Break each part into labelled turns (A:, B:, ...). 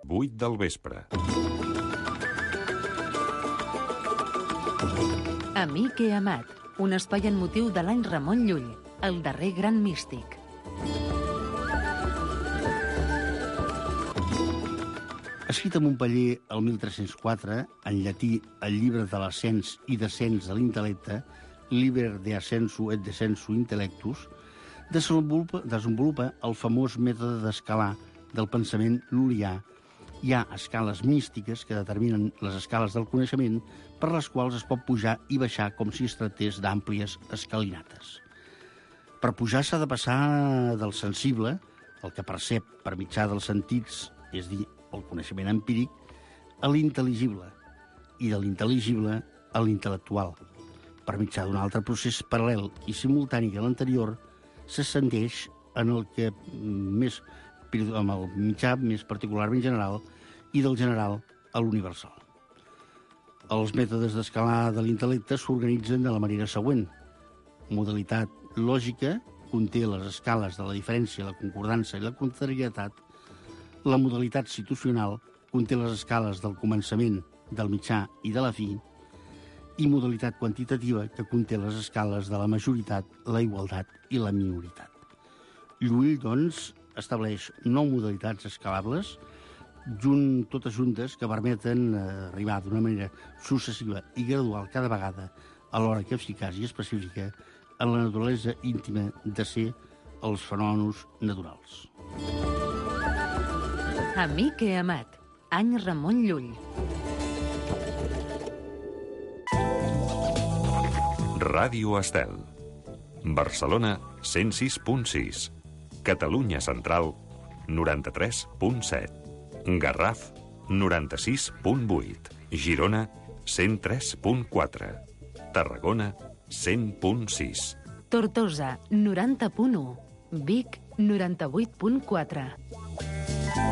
A: 8 del vespre.
B: Amic i amat, un espai en motiu de l'any Ramon Llull, el darrer gran místic.
C: Escrit a Montpeller el 1304, en llatí el llibre de l'ascens i descens de l'intel·lecte, Liber de ascensu et descensu intellectus, desenvolupa el famós mètode d'escalar del pensament lul·lià. Hi ha escales místiques que determinen les escales del coneixement per les quals es pot pujar i baixar com si es tractés d'àmplies escalinates. Per pujar s'ha de passar del sensible, el que percep per mitjà dels sentits, és dir, el coneixement empíric, a l'intel·ligible, i de l'intel·ligible a l'intel·lectual. Per mitjà d'un altre procés paral·lel i simultani que l'anterior, s'ascendeix en el que amb el mitjà més particularment general i del general a l'universal. Els mètodes d'escalar de l'intel·lecte s'organitzen de la manera següent. Modalitat lògica conté les escales de la diferència, la concordança i la contrarietat. La modalitat situacional conté les escales del començament, del mitjà i de la fi, i modalitat quantitativa que conté les escales de la majoritat, la igualtat i la minoritat. Llull, doncs, estableix 9 modalitats escalables, totes juntes, que permeten arribar d'una manera successiva i gradual cada vegada, alhora que eficaç i específica, en la naturalesa íntima de ser els fenòmenos naturals.
B: Amic i amat, any Ramon Llull.
A: Ràdio Estel. Barcelona 106.6. Catalunya Central 93.7. Garraf 96.8. Girona 103.4. Tarragona 100.6.
B: Tortosa 90.1. Vic 98.4.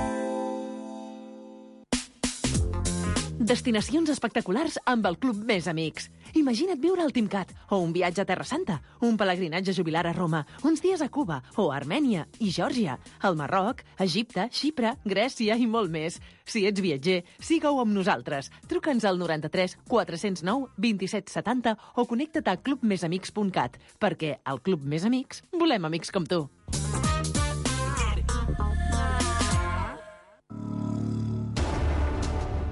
B: Destinacions espectaculars amb el Club Més Amics. Imagina't viure al Timcat, o un viatge a Terra Santa, un pelegrinatge jubilar a Roma, uns dies a Cuba, o a Armènia i Geòrgia, al Marroc, Egipte, Xipre, Grècia i molt més. Si ets viatger, siga-ho amb nosaltres. Truca'ns al 93 409 27 70 o connecta't a clubmesamics.cat, perquè al Club Més Amics volem amics com tu.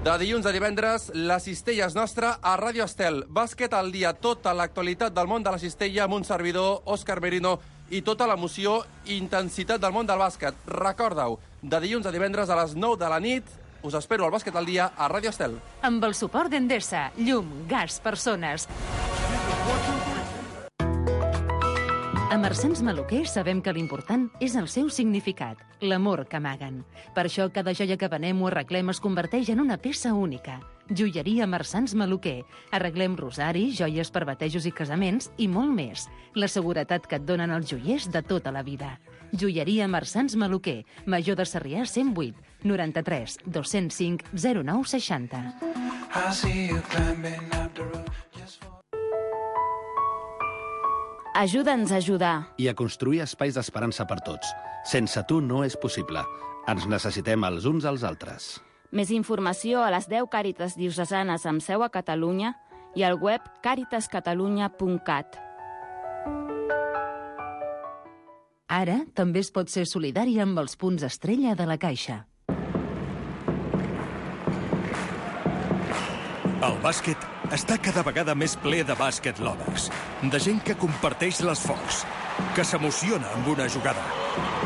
D: De dilluns a divendres, la cistella és nostra a Ràdio Estel. Bàsquet al dia, tota l'actualitat del món de la cistella amb un servidor, Òscar Merino, i tota l'emoció i intensitat del món del bàsquet. Recorda-ho, de dilluns a divendres a les 9 de la nit, us espero al Bàsquet al dia a Ràdio Estel.
B: Amb el suport d'Endesa, llum, gas, persones. A Marsans Maluquer sabem que l'important és el seu significat, l'amor que amaguen. Per això cada joia que venem o arreglem es converteix en una peça única. Joieria Marsans Maluquer. Arreglem rosaris, joies per batejos i casaments i molt més. La seguretat que et donen els joiers de tota la vida. Joieria Marsans Maluquer. Major de Sarrià 108 93 205 09 60.
E: Ajuda'ns a ajudar.
F: I a construir espais d'esperança per tots. Sense tu no és possible. Ens necessitem els uns als altres.
E: Més informació a les 10 Càritas diocesanes amb seu a Catalunya i al web caritascatalunya.cat.
B: Ara també es pot ser solidari amb els punts estrella de la Caixa.
G: El bàsquet està cada vegada més ple de bàsquet lovers, de gent que comparteix l'esforç, que s'emociona amb una jugada,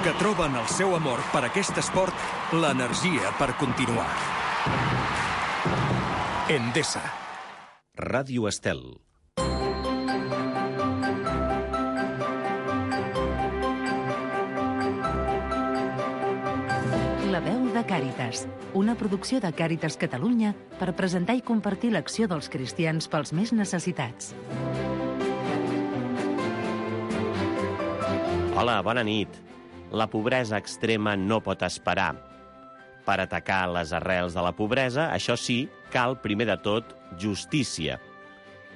G: que troba en el seu amor per aquest esport l'energia per continuar. Endesa.
H: Ràdio Estel.
B: La veu de Càritas, una producció de Càritas Catalunya per presentar i compartir l'acció dels cristians pels més necessitats.
I: Hola, bona nit. La pobresa extrema no pot esperar. Per atacar les arrels de la pobresa, això sí, cal, primer de tot, justícia.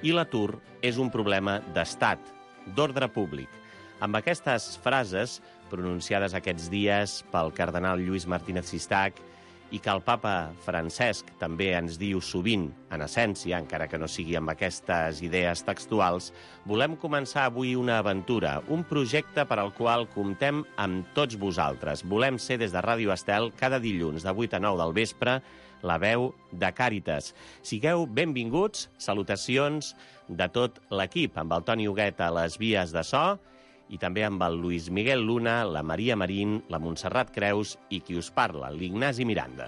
I: I l'atur és un problema d'estat, d'ordre públic. Amb aquestes frases, pronunciades aquests dies pel cardenal Lluís Martínez Sistac i que el papa Francesc també ens diu sovint, en essència, encara que no sigui amb aquestes idees textuals, volem començar avui una aventura, un projecte per al qual comptem amb tots vosaltres. Volem ser des de Ràdio Estel cada dilluns de 8 a 9 del vespre la veu de Càritas. Sigueu benvinguts, salutacions de tot l'equip, amb el Toni Huguet a les vies de so, i també amb el Luis Miguel Luna, la Maria Marín, la Montserrat Creus i qui us parla, l'Ignasi Miranda.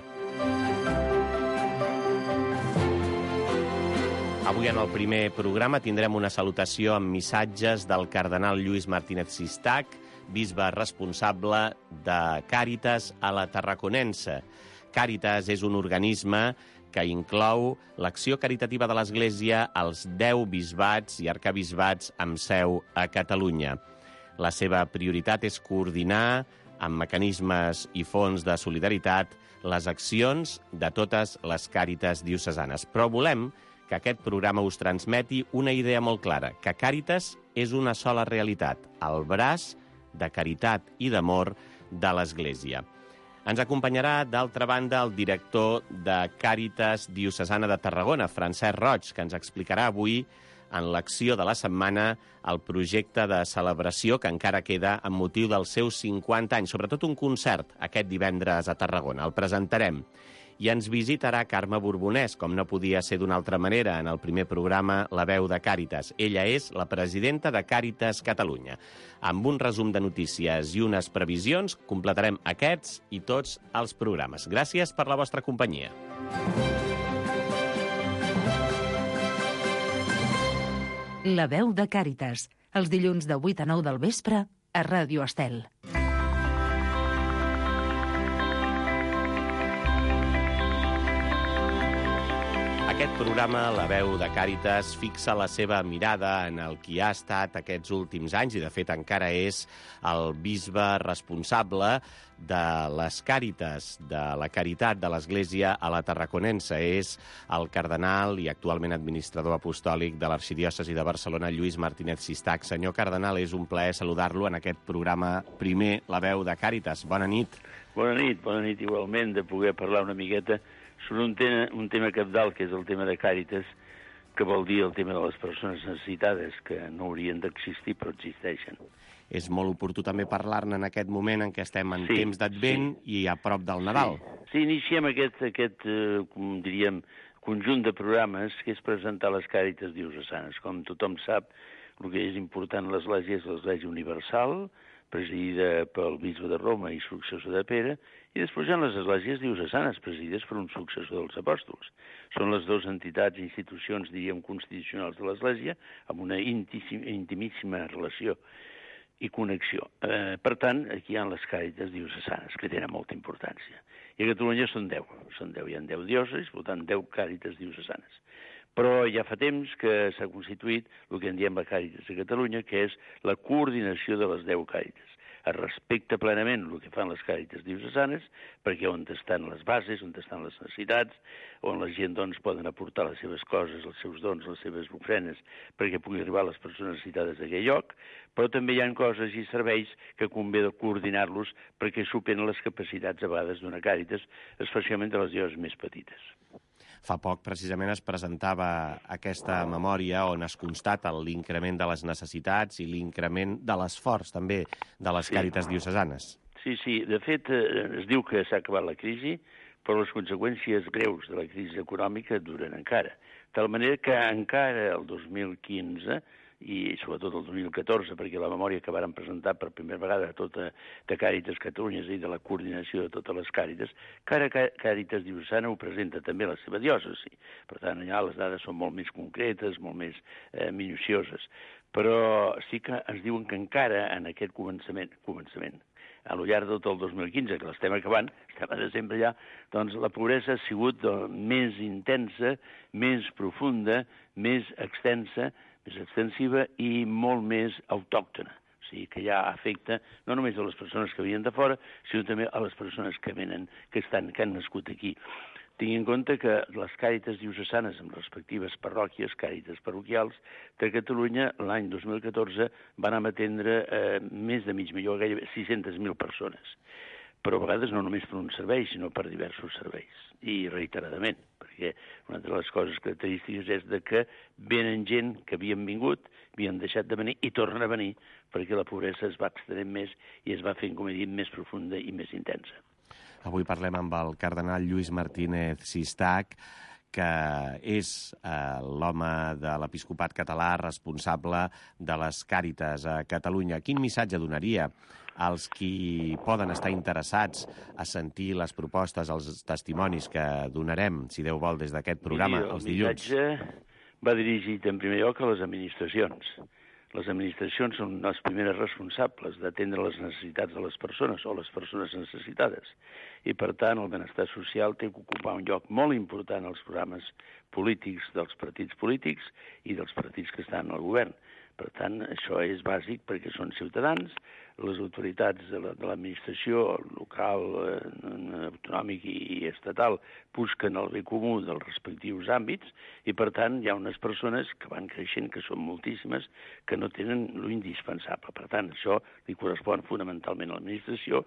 I: Avui en el primer programa tindrem una salutació amb missatges del cardenal Lluís Martínez Sistac, bisbe responsable de Càritas a la Tarraconense. Càritas és un organisme que inclou l'acció caritativa de l'Església als 10 bisbats i arcabisbats amb seu a Catalunya. La seva prioritat és coordinar, amb mecanismes i fons de solidaritat, les accions de totes les Càritas diocesanes. Però volem que aquest programa us transmeti una idea molt clara, que Càritas és una sola realitat, el braç de caritat i d'amor de l'Església. Ens acompanyarà, d'altra banda, el director de Càritas Diocesana de Tarragona, Francesc Roig, que ens explicarà avui, en l'acció de la setmana, el projecte de celebració que encara queda amb motiu dels seus 50 anys, sobretot un concert aquest divendres a Tarragona. El presentarem. I ens visitarà Carme Borbonès, com no podia ser d'una altra manera, en el primer programa La veu de Càritas. Ella és la presidenta de Càritas Catalunya. Amb un resum de notícies i unes previsions, completarem aquests i tots els programes. Gràcies per la vostra companyia.
B: La veu de Càritas, els dilluns de 8 a 9 del vespre a Ràdio Estel.
I: Aquest programa, La veu de Càritas, fixa la seva mirada en el qui ha estat aquests últims anys i, de fet, encara és el bisbe responsable de les Càritas, de la caritat de l'Església a la Tarraconense. És el cardenal i actualment administrador apostòlic de l'Arxidiòcesi de Barcelona, Lluís Martínez Sistac. Senyor cardenal, és un plaer saludar-lo en aquest programa primer, La veu de Càritas. Bona nit.
J: Bona nit igualment, de poder parlar una miqueta sobre un tema cabdal, que és el tema de Càritas, que vol dir el tema de les persones necessitades, que no haurien d'existir, però existeixen.
I: És molt oportú també parlar-ne en aquest moment en què estem en temps d'Advent i a prop del Nadal.
J: Sí, iniciem aquest diríem, conjunt de programes que és presentar les Càritas diocesanes. Com tothom sap, el que és important a l'Església és l'Església Universal, presidida pel bisbe de Roma i successor de Pere, i després hi ha les esglésies diocesanes, presidides per un successor dels apòstols. Són les dues entitats i institucions, diríem, constitucionals de l'Església, amb una intimíssima relació i connexió. Per tant, aquí hi ha les Càritas diocesanes, que tenen molta importància. I a Catalunya són 10, hi ha 10 diòcesis, per tant, 10 Càritas diocesanes. Però ja fa temps que s'ha constituït el que en diem la Càritas de Catalunya, que és la coordinació de les 10 Càritas. Es respecta plenament el que fan les Càritas diocesanes, perquè on estan les bases, on estan les necessitats, on la gent doncs, poden aportar les seves coses, els seus dons, les seves ofrenes, perquè pugui arribar a les persones necessitades d'aquell lloc, però també hi ha coses i serveis que convé de coordinar-los perquè superen les capacitats a vegades d'una Càritas, especialment de les diòcesis més petites.
I: Fa poc, precisament, es presentava aquesta memòria on es constata l'increment de les necessitats i l'increment de l'esforç, també, de les Càritas diocesanes.
J: Sí. De fet, es diu que s'ha acabat la crisi, però les conseqüències greus de la crisi econòmica duren encara. De tal manera que encara el 2015 i sobretot el 2014, perquè la memòria que varen presentar per primera vegada tota de Càritas Catalunya, és a dir, de la coordinació de totes les Càritas, cada Càritas diocesana ho presenta també a la seva diòcesi. Per tant, allà les dades són molt més concretes, molt més minucioses. Però sí que ens diuen que encara en aquest començament, a lo llarg de tot el 2015, que l'estem acabant, estem a desembre ja, doncs la pobresa ha sigut més intensa, més profunda, més extensa, més extensiva i molt més autòctona. O sigui, que ja afecta no només a les persones que venien de fora, sinó també a les persones que venen, que han nascut aquí. Tingui en compte que les Càritas diocesanes amb respectives parròquies, Càritas parroquials de Catalunya, l'any 2014 van atendre més de mig milió, gairebé 600.000 persones. però a vegades no només per un servei, sinó per diversos serveis, i reiteradament, perquè una de les coses característiques és de que venen gent que havien vingut, havien deixat de venir i tornen a venir, perquè la pobresa es va extenent més i es va fent, com he dit, més profunda i més intensa.
I: Avui parlem amb el cardenal Lluís Martínez Sistac, que és l'home de l'episcopat català responsable de les Càritas a Catalunya. Quin missatge donaria als qui poden estar interessats a sentir les propostes, els testimonis que donarem, si Déu vol, des d'aquest programa, els dilluns?
J: El missatge va dirigit en primer lloc a les administracions. Les administracions són les primeres responsables d'atendre les necessitats de les persones o les persones necessitades. I, per tant, el benestar social té que ocupar un lloc molt important als programes polítics dels partits polítics i dels partits que estan al govern. Per tant, això és bàsic perquè són ciutadans, les autoritats de l'administració local, autonòmic i estatal busquen el bé comú dels respectius àmbits i, per tant, hi ha unes persones que van creixent, que són moltíssimes, que no tenen lo indispensable. Per tant, això li correspon fonamentalment a l'administració,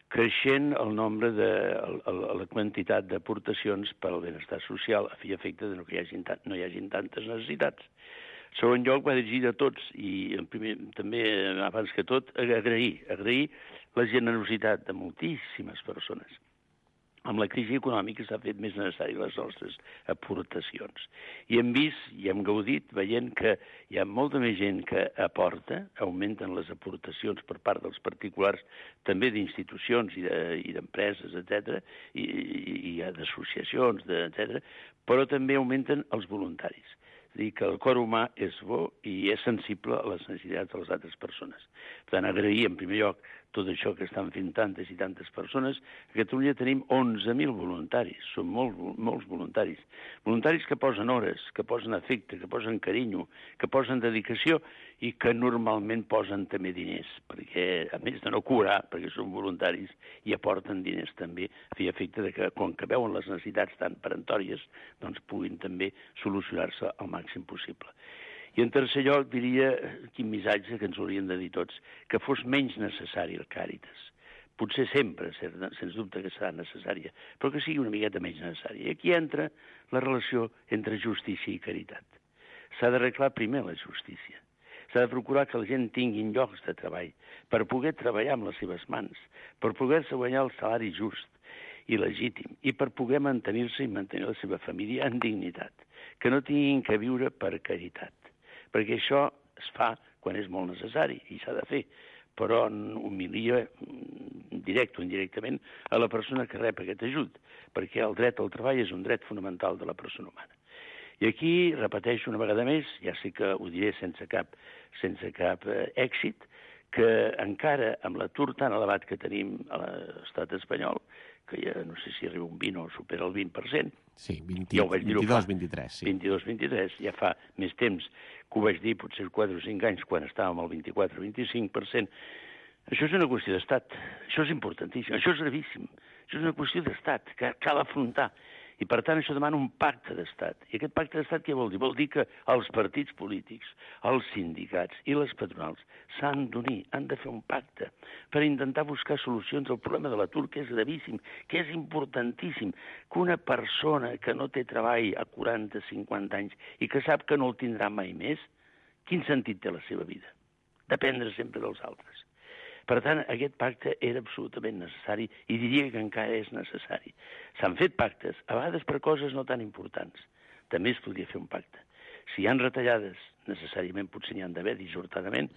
J: creixent el nombre la quantitat d'aportacions per al benestar social a fi i efecte de no hi hagin tantes necessitats. En segon lloc, va dirigir a tots i també, abans que tot, agrair la generositat de moltíssimes persones. Amb la crisi econòmica s'ha fet més necessari les nostres aportacions. I hem vist i hem gaudit veient que hi ha molta més gent que aporta, augmenten les aportacions per part dels particulars, també d'institucions i d'empreses, etc., i d'associacions, etc., però també augmenten els voluntaris. És a dir, que el cor humà és bo i és sensible a les necessitats de les altres persones. Per tant, agrair, en primer lloc, tot això que estan fent tantes i tantes persones. A Catalunya tenim 11.000 voluntaris, són molts voluntaris. Voluntaris que posen hores, que posen afecte, que posen carinyo, que posen dedicació i que normalment posen també diners, perquè, a més de no cobrar, perquè són voluntaris, i aporten diners també, a fi i efecte de que, quan que veuen les necessitats tan peremptòries, doncs puguin també solucionar-se al màxim possible. I en tercer lloc diria, quin missatge que ens haurien de dir tots, que fos menys necessari el Càritas. Potser sempre, sens dubte que serà necessària, però que sigui una miqueta menys necessària. I aquí entra la relació entre justícia i caritat. S'ha d'arreglar primer la justícia. S'ha de procurar que la gent tingui llocs de treball per poder treballar amb les seves mans, per poder-se guanyar el salari just i legítim, i per poder mantenir-se i mantenir la seva família en dignitat, que no tinguin que viure per caritat, perquè això es fa quan és molt necessari i s'ha de fer, però humilia direct o indirectament a la persona que rep aquest ajut, perquè el dret al treball és un dret fonamental de la persona humana. I aquí, repeteixo una vegada més, ja sé que ho diré sense cap èxit, que encara amb l'atur tan elevat que tenim a l'estat espanyol, que ja no sé si arriba un 20 o supera el 20%.
I: Sí, 22-23, sí.
J: 22-23, ja fa més temps que ho vaig dir, potser 4 o 5 anys, quan estàvem al 24-25%. Això és una qüestió d'estat, això és importantíssim, això és gravíssim, això és una qüestió d'estat que cal afrontar. I, per tant, això demana un pacte d'estat. I aquest pacte d'estat què vol dir? Vol dir que els partits polítics, els sindicats i les patronals s'han d'unir, han de fer un pacte per intentar buscar solucions al problema de l'atur, que és gravíssim, que és importantíssim, que una persona que no té treball a 40-50 anys i que sap que no el tindrà mai més, quin sentit té la seva vida? Dependre sempre dels altres. Per tant, aquest pacte era absolutament necessari i diria que encara és necessari. S'han fet pactes, a vegades per coses no tan importants. També es podria fer un pacte. Si hi ha retallades, necessàriament potser n'hi han d'haver dissortadament,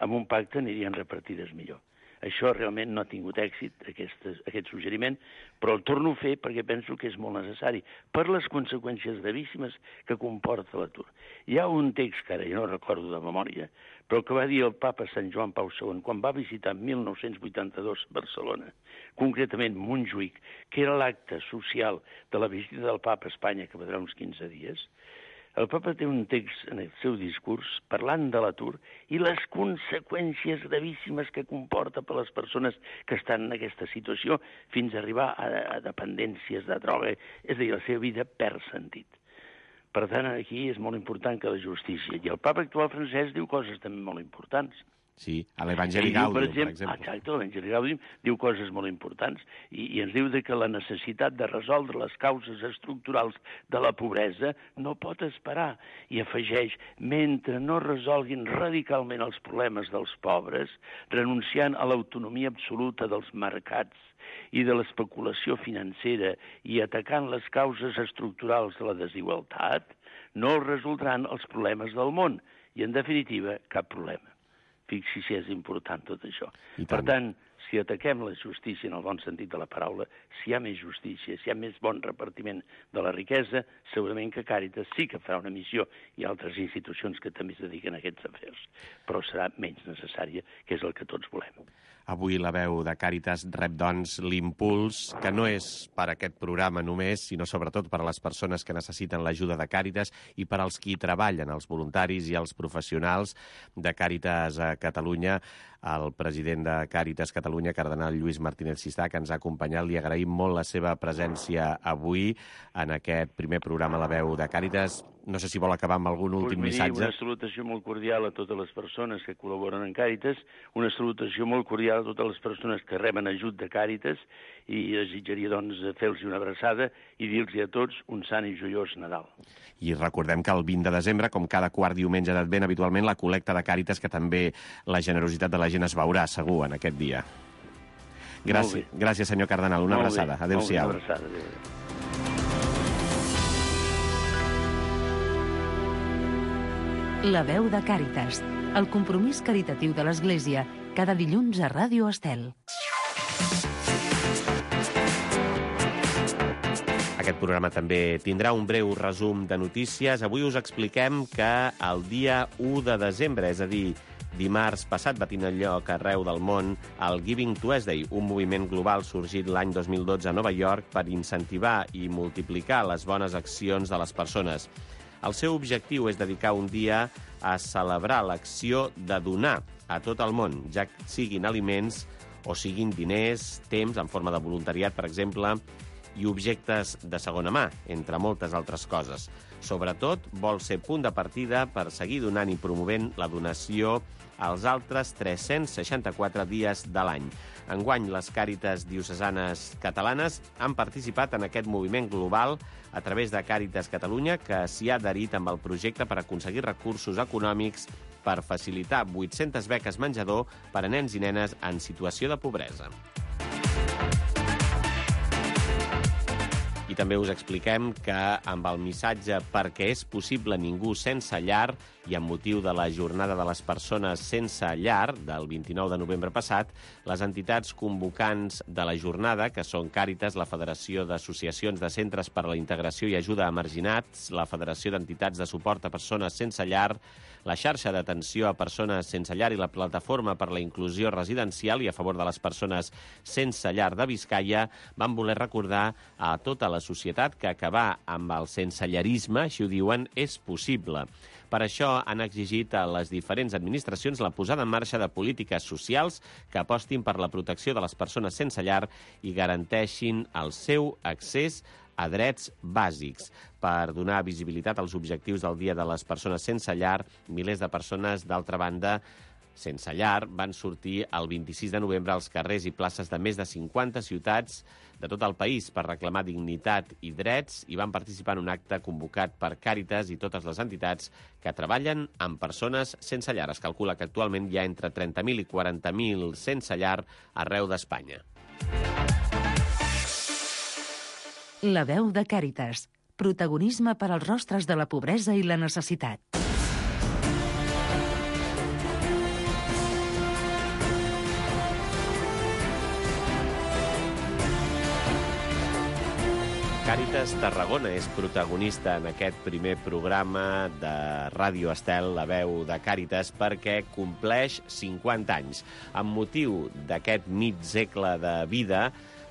J: amb un pacte anirien repartides millor. Això realment no ha tingut èxit, aquest suggeriment, però el torno a fer perquè penso que és molt necessari, per les conseqüències gravíssimes que comporta l'atur. Hi ha un text que ara jo no recordo de memòria, però que va dir el papa Sant Joan Pau II quan va visitar en 1982 Barcelona, concretament Montjuïc, que era l'acte social de la visita del papa a Espanya, que va durar uns 15 dies. El papa té un text en el seu discurs parlant de l'atur i les conseqüències gravíssimes que comporta per les persones que estan en aquesta situació fins a arribar a dependències de droga, és a dir, la seva vida perd sentit. Per tant, aquí és molt important que la justícia. I el papa actual francès diu coses també molt importants.
I: Sí, a l'Evangeli Gaudium, per exemple.
J: Exacte, l'Evangeli Gaudium diu coses molt importants i ens diu que la necessitat de resoldre les causes estructurals de la pobresa no pot esperar. I afegeix, mentre no resolguin radicalment els problemes dels pobres, renunciant a l'autonomia absoluta dels mercats i de l'especulació financera i atacant les causes estructurals de la desigualtat, no resoldran els problemes del món i, en definitiva, cap problema. Fixi si és important tot això. Per tant, si ataquem la justícia en el bon sentit de la paraula, si hi ha més justícia, si hi ha més bon repartiment de la riquesa, segurament que Càritas sí que farà una missió i altres institucions que també es dediquen a aquests afers, però serà menys necessària, que és el que tots volem.
I: Avui la veu de Càritas rep, doncs, l'impuls, que no és per aquest programa només, sinó sobretot per a les persones que necessiten l'ajuda de Càritas i per als qui treballen, els voluntaris i els professionals de Càritas a Catalunya. El president de Càritas Catalunya, cardenal Lluís Martínez Sistà, que ens ha acompanyat. Li agraïm molt la seva presència avui en aquest primer programa La Veu de Càritas. No sé si vol acabar amb algun últim missatge.
J: Una salutació molt cordial a totes les persones que col·laboren en Càritas, una salutació molt cordial a totes les persones que reben ajut de Càritas i desitjaria, doncs, fer-los una abraçada i dir-los a tots un sant i joiós Nadal.
I: I recordem que el 20 de desembre, com cada quart diumenge d'Advent, habitualment la col·lecta de Càritas, que també la generositat de la gent es veurà segur en aquest dia. Gràcies, senyor cardenal. Una abraçada. Adéu-siau.
J: Una abraçada. Adéu.
B: La veu de Càritas, el compromís caritatiu de l'Església, cada dilluns a Ràdio Estel.
I: Aquest programa també tindrà un breu resum de notícies. Avui us expliquem que el dia 1 de desembre, és a dir, dimarts passat, va tenir lloc arreu del món el Giving Tuesday, un moviment global sorgit l'any 2012 a Nova York per incentivar i multiplicar les bones accions de les persones. El seu objectiu és dedicar un dia a celebrar l'acció de donar a tot el món, ja siguin aliments o siguin diners, temps en forma de voluntariat, per exemple, i objectes de segona mà, entre moltes altres coses. Sobretot, vol ser punt de partida per seguir donant i promovent la donació als altres 364 dies de l'any. Enguany, les Càritas diocesanes catalanes han participat en aquest moviment global a través de Càritas Catalunya, que s'hi ha adherit amb el projecte per aconseguir recursos econòmics per facilitar 800 beques menjador per a nens i nenes en situació de pobresa. I també us expliquem que amb el missatge perquè és possible ningú sense llar i amb motiu de la Jornada de les Persones Sense Llar del 29 de novembre passat, les entitats convocants de la jornada, que són Càritas, la Federació d'Associacions de Centres per a la Integració i Ajuda a Marginats, la Federació d'Entitats de Suport a Persones Sense Llar, la Xarxa d'Atenció a Persones Sense Llar i la Plataforma per la Inclusió Residencial i a favor de les persones sense llar de Biscaia van voler recordar a tota la societat que acabar amb el sensellarisme, així ho diuen, és possible. Per això han exigit a les diferents administracions la posada en marxa de polítiques socials que apostin per la protecció de les persones sense llar i garanteixin el seu accés a drets bàsics. Per donar visibilitat als objectius del Dia de les Persones Sense Llar, milers de persones, d'altra banda, sense llar, van sortir el 26 de novembre als carrers i places de més de 50 ciutats de tot el país per reclamar dignitat i drets i van participar en un acte convocat per Càritas i totes les entitats que treballen amb persones sense llar. Es calcula que actualment hi ha entre 30.000 i 40.000 sense llar arreu d'Espanya.
B: La veu de Càritas. Protagonisme per als rostres de la pobresa i la necessitat.
I: Càritas Tarragona és protagonista en aquest primer programa de Ràdio Estel, la veu de Càritas, perquè compleix 50 anys. Amb motiu d'aquest mig segle de vida,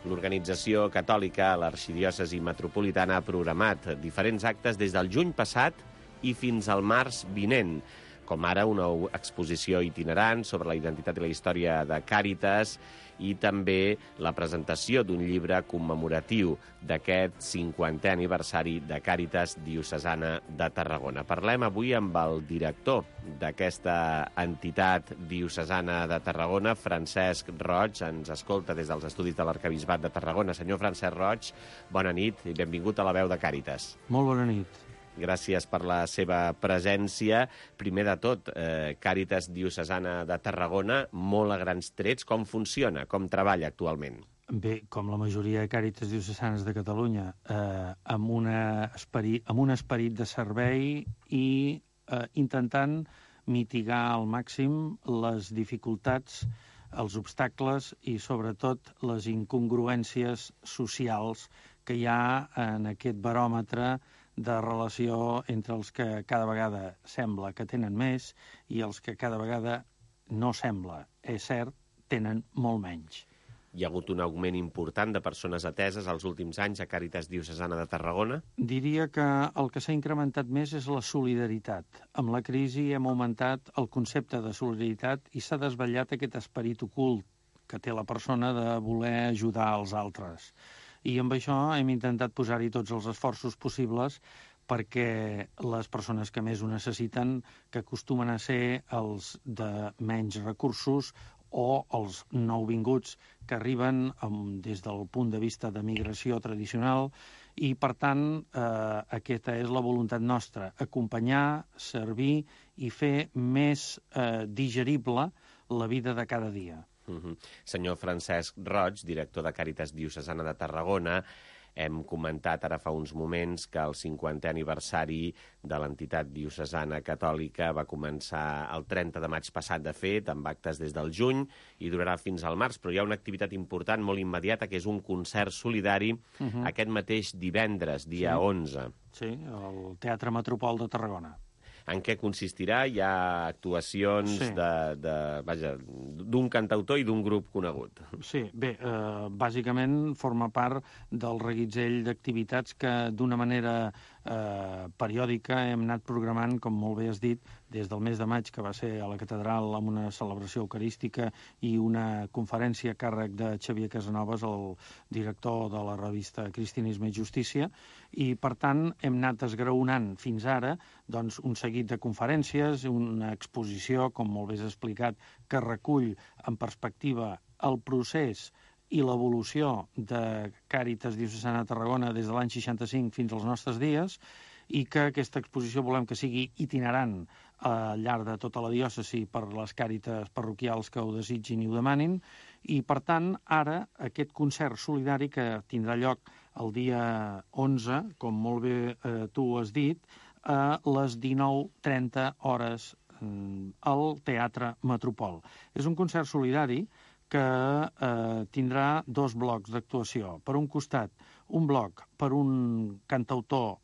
I: l'organització catòlica a l'Arxidiòcesi Metropolitana ha programat diferents actes des del juny passat i fins al març vinent. com ara una exposició itinerant sobre la identitat i la història de Càritas i també la presentació d'un llibre commemoratiu d'aquest 50è aniversari de Càritas Diocesana de Tarragona. Parlem avui amb el director d'aquesta entitat diocesana de Tarragona, Francesc Roig. Ens escolta des dels estudis de l'Arquebisbat de Tarragona. Senyor Francesc Roig, bona nit i benvingut a la veu de Càritas.
K: Molt bona nit.
I: Gràcies per la seva presència. Primer de tot, Càritas Diocesana de Tarragona, molt a grans trets. Com funciona? Com treballa actualment?
K: Bé, com la majoria de Càritas Diocesanes de Catalunya, amb un esperit de servei i intentant mitigar al màxim les dificultats, els obstacles i, sobretot, les incongruències socials que hi ha en aquest baròmetre de relació entre els que cada vegada sembla que tenen més i els que cada vegada no sembla. És cert, tenen molt menys.
I: Hi ha hagut un augment important de persones ateses els últims anys a Càritas Diocesana de Tarragona?
K: Diria que el que s'ha incrementat més és la solidaritat. Amb la crisi hem augmentat el concepte de solidaritat i s'ha desvetllat aquest esperit ocult que té la persona de voler ajudar els altres. I amb això hem intentat posar-hi tots els esforços possibles perquè les persones que més ho necessiten, que acostumen a ser els de menys recursos o els nouvinguts que arriben des del punt de vista de migració tradicional i, per tant, aquesta és la voluntat nostra, acompanyar, servir i fer més digerible la vida de cada dia.
I: Senyor Francesc Roig, director de Càritas Diocesana de Tarragona, hem comentat ara fa uns moments que el 50è aniversari de l'entitat diocesana catòlica va començar el 30 de maig passat, de fet, amb actes des del juny i durarà fins al març, però hi ha una activitat important, molt immediata, que és un concert solidari aquest mateix divendres, dia 11.
K: Sí, al Teatre Metropol de Tarragona.
I: En què consistirà? Hi ha actuacions d'un cantautor i d'un grup conegut.
K: Sí, bé, bàsicament forma part del reguitzell d'activitats que d'una manera periòdica hem anat programant, com molt bé has dit, des del mes de maig, que va ser a la catedral amb una celebració eucarística i una conferència a càrrec de Xavier Casanovas, el director de la revista Cristianisme i Justícia, i per tant hem anat esgraonant fins ara doncs, un seguit de conferències, una exposició, com molt bé has explicat, que recull en perspectiva el procés i l'evolució de Càritas Diocesana de Tarragona des de l'any 65 fins als nostres dies i que aquesta exposició volem que sigui itinerant al llarg de tota la diòcesi per les càritas parroquials que ho desitgin i ho demanin i, per tant, ara aquest concert solidari que tindrà lloc el dia 11, com molt bé tu has dit, a les 19:30 hores al Teatre Metropol. És un concert solidari que tindrà dos blocs d'actuació. Per un costat, un bloc per un cantautor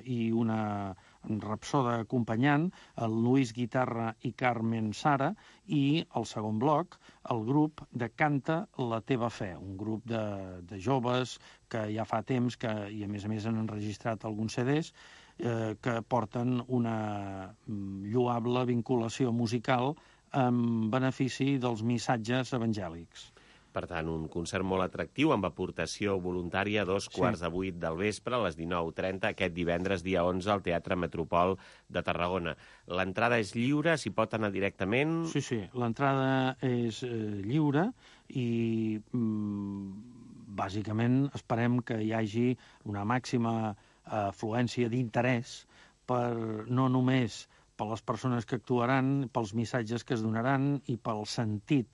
K: i una rapsoda acompanyant, el Luis Guitarra i Carmen Sara, i el segon bloc, el grup de Canta la teva fe, un grup de joves que ja fa temps i a més han enregistrat alguns CDs que porten una lloable vinculació musical en benefici dels missatges evangèlics.
I: Per tant, un concert molt atractiu amb aportació voluntària a 7:15 del vespre a les 19:30 aquest divendres, dia 11, al Teatre Metropol de Tarragona. L'entrada és lliure, s'hi pot anar directament?
K: Sí, l'entrada és lliure i bàsicament esperem que hi hagi una màxima afluència d'interès no només per les persones que actuaran, pels missatges que es donaran i pel sentit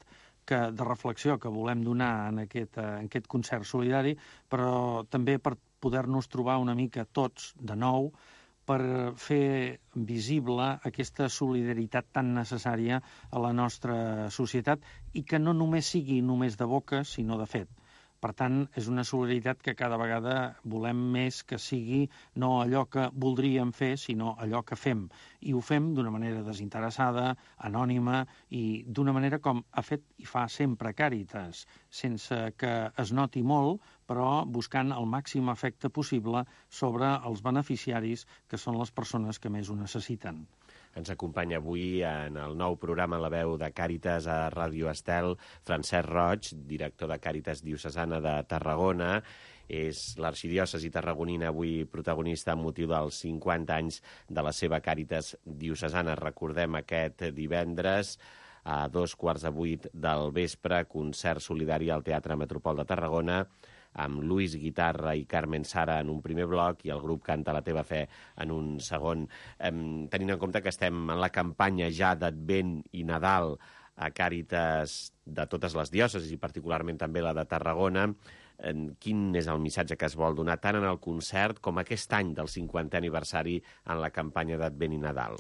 K: de reflexió que volem donar en aquest concert solidari, però també per poder-nos trobar una mica tots de nou per fer visible aquesta solidaritat tan necessària a la nostra societat i que no només sigui només de boca, sinó de fet. Per tant, és una solidaritat que cada vegada volem més que sigui no allò que voldríem fer, sinó allò que fem. I ho fem d'una manera desinteressada, anònima i d'una manera com ha fet i fa sempre Càritas, sense que es noti molt, però buscant el màxim efecte possible sobre els beneficiaris, que són les persones que més ho necessiten.
I: Ens acompanya avui en el nou programa La veu de Càritas a Ràdio Estel, Francesc Roig, director de Càritas Diocesana de Tarragona. És l'arxidiòcesi tarragonina avui protagonista amb motiu dels 50 anys de la seva Càritas Diocesana. Recordem aquest divendres a 7:15 del vespre, concert solidari al Teatre Metropol de Tarragona, amb Luis Guitarra i Carmen Sara en un primer bloc i el grup Canta la teva fe en un segon. Tenint en compte que estem en la campanya ja d'Advent i Nadal a Càritas de totes les diòcesis i particularment també la de Tarragona, quin és el missatge que es vol donar tant en el concert com aquest any del 50è aniversari en la campanya d'Advent i Nadal?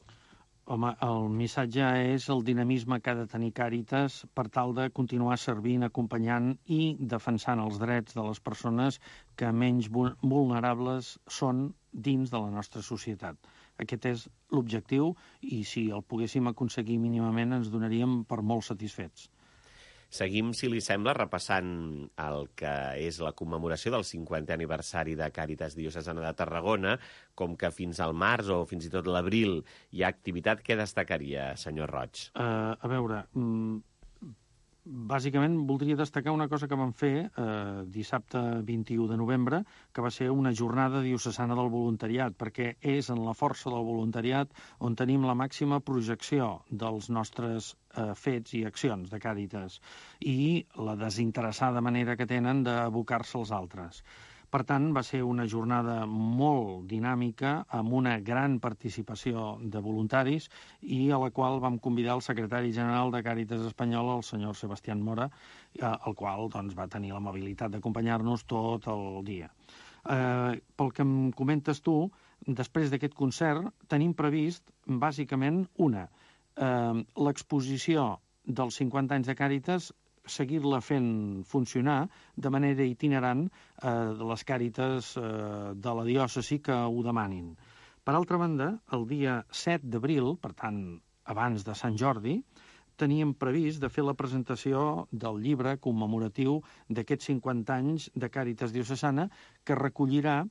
K: Home, el missatge és el dinamisme que ha de tenir Càritas per tal de continuar servint, acompanyant i defensant els drets de les persones que menys vulnerables són dins de la nostra societat. Aquest és l'objectiu i si el poguéssim aconseguir mínimament ens donaríem per molt satisfets.
I: Seguim, si li sembla, repassant el que és la commemoració del 50è aniversari de Càritas Diocesana de Tarragona, com que fins al març o fins i tot l'abril hi ha activitat. Què destacaria, senyor Roig?
K: A veure, bàsicament voldria destacar una cosa que vam fer dissabte 21 de novembre, que va ser una jornada diocesana del voluntariat, perquè és en la força del voluntariat on tenim la màxima projecció dels nostres fets i accions de Càritas i la desinteressada manera que tenen d'abocar-se als altres. Per tant, va ser una jornada molt dinàmica, amb una gran participació de voluntaris i a la qual vam convidar el secretari general de Càritas Espanyola, el senyor Sebastián Mora, el qual va tenir l'amabilitat d'acompanyar-nos tot el dia. Pel que em comentes tu, després d'aquest concert tenim previst, bàsicament, l'exposició dels 50 anys de Càritas, seguir-la fent funcionar de manera itinerant de les Càritas de la diòcesi que ho demanin. Per altra banda, el dia 7 d'abril, per tant, abans de Sant Jordi, teníem previst de fer la presentació del llibre commemoratiu d'aquests 50 anys de Càritas Diocesana, que recollirà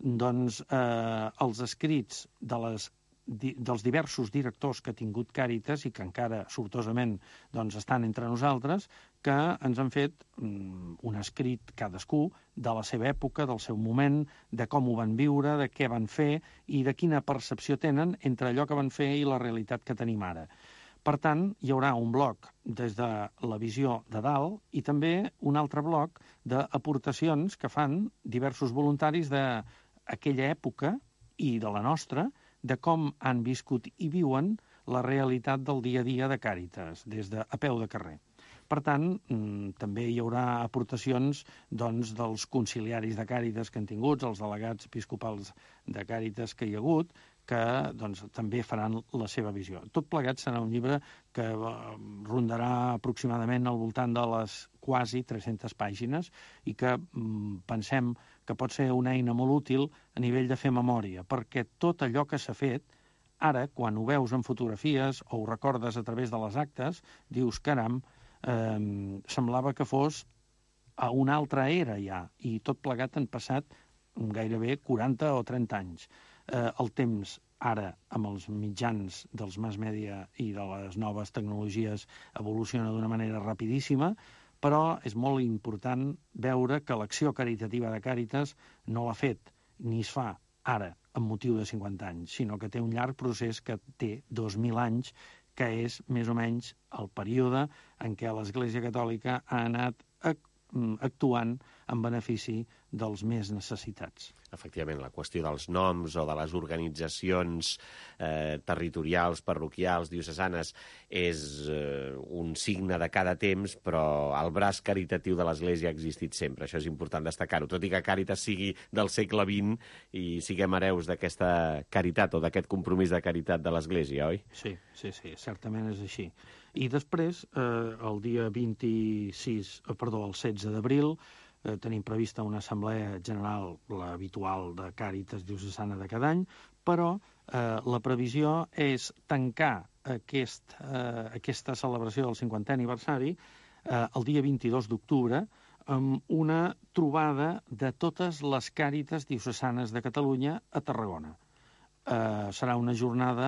K: els escrits dels diversos directors que ha tingut Càritas i que encara sortosament estan entre nosaltres, que ens han fet un escrit cadascú de la seva època, del seu moment, de com ho van viure, de què van fer i de quina percepció tenen entre allò que van fer i la realitat que tenim ara. Per tant, hi haurà un bloc des de la visió de dalt i també un altre bloc d'aportacions que fan diversos voluntaris d'aquella època i de la nostra, de com han viscut i viuen la realitat del dia a dia de Càritas, des de a peu de carrer. Per tant, també hi haurà aportacions dels conciliaris de Càritas que han tingut, els delegats episcopals de Càritas que hi ha hagut, que també faran la seva visió. Tot plegat serà un llibre que rondarà aproximadament al voltant de les quasi 300 pàgines i que pensem que pot ser una eina molt útil a nivell de fer memòria, perquè tot allò que s'ha fet, ara, quan ho veus en fotografies o ho recordes a través de les actes, dius, caram, semblava que fos a una altra era ja, i tot plegat han passat gairebé 40 o 30 anys. El temps ara, amb els mitjans dels mass media i de les noves tecnologies, evoluciona d'una manera rapidíssima, però és molt important veure que l'acció caritativa de Càritas no l'ha fet ni es fa ara, amb motiu de 50 anys, sinó que té un llarg procés que té 2.000 anys, que és més o menys el període en què l'Església Catòlica ha anat actuant en benefici dels més necessitats.
I: Efectivament, la qüestió dels noms o de les organitzacions territorials, parroquials, diocesanes, és un signe de cada temps, però el braç caritatiu de l'Església ha existit sempre. Això és important destacar-ho, tot i que Càritas sigui del segle XX i siguem hereus d'aquesta caritat o d'aquest compromís de caritat de l'Església, oi?
K: Sí, certament és així. I després, el dia 16 d'abril, tenim prevista una assemblea general, l'habitual de Càritas Diocesana de cada any, però la previsió és tancar aquesta celebració del 50è aniversari el dia 22 d'octubre amb una trobada de totes les Càritas Diocesanes de Catalunya a Tarragona. serà una jornada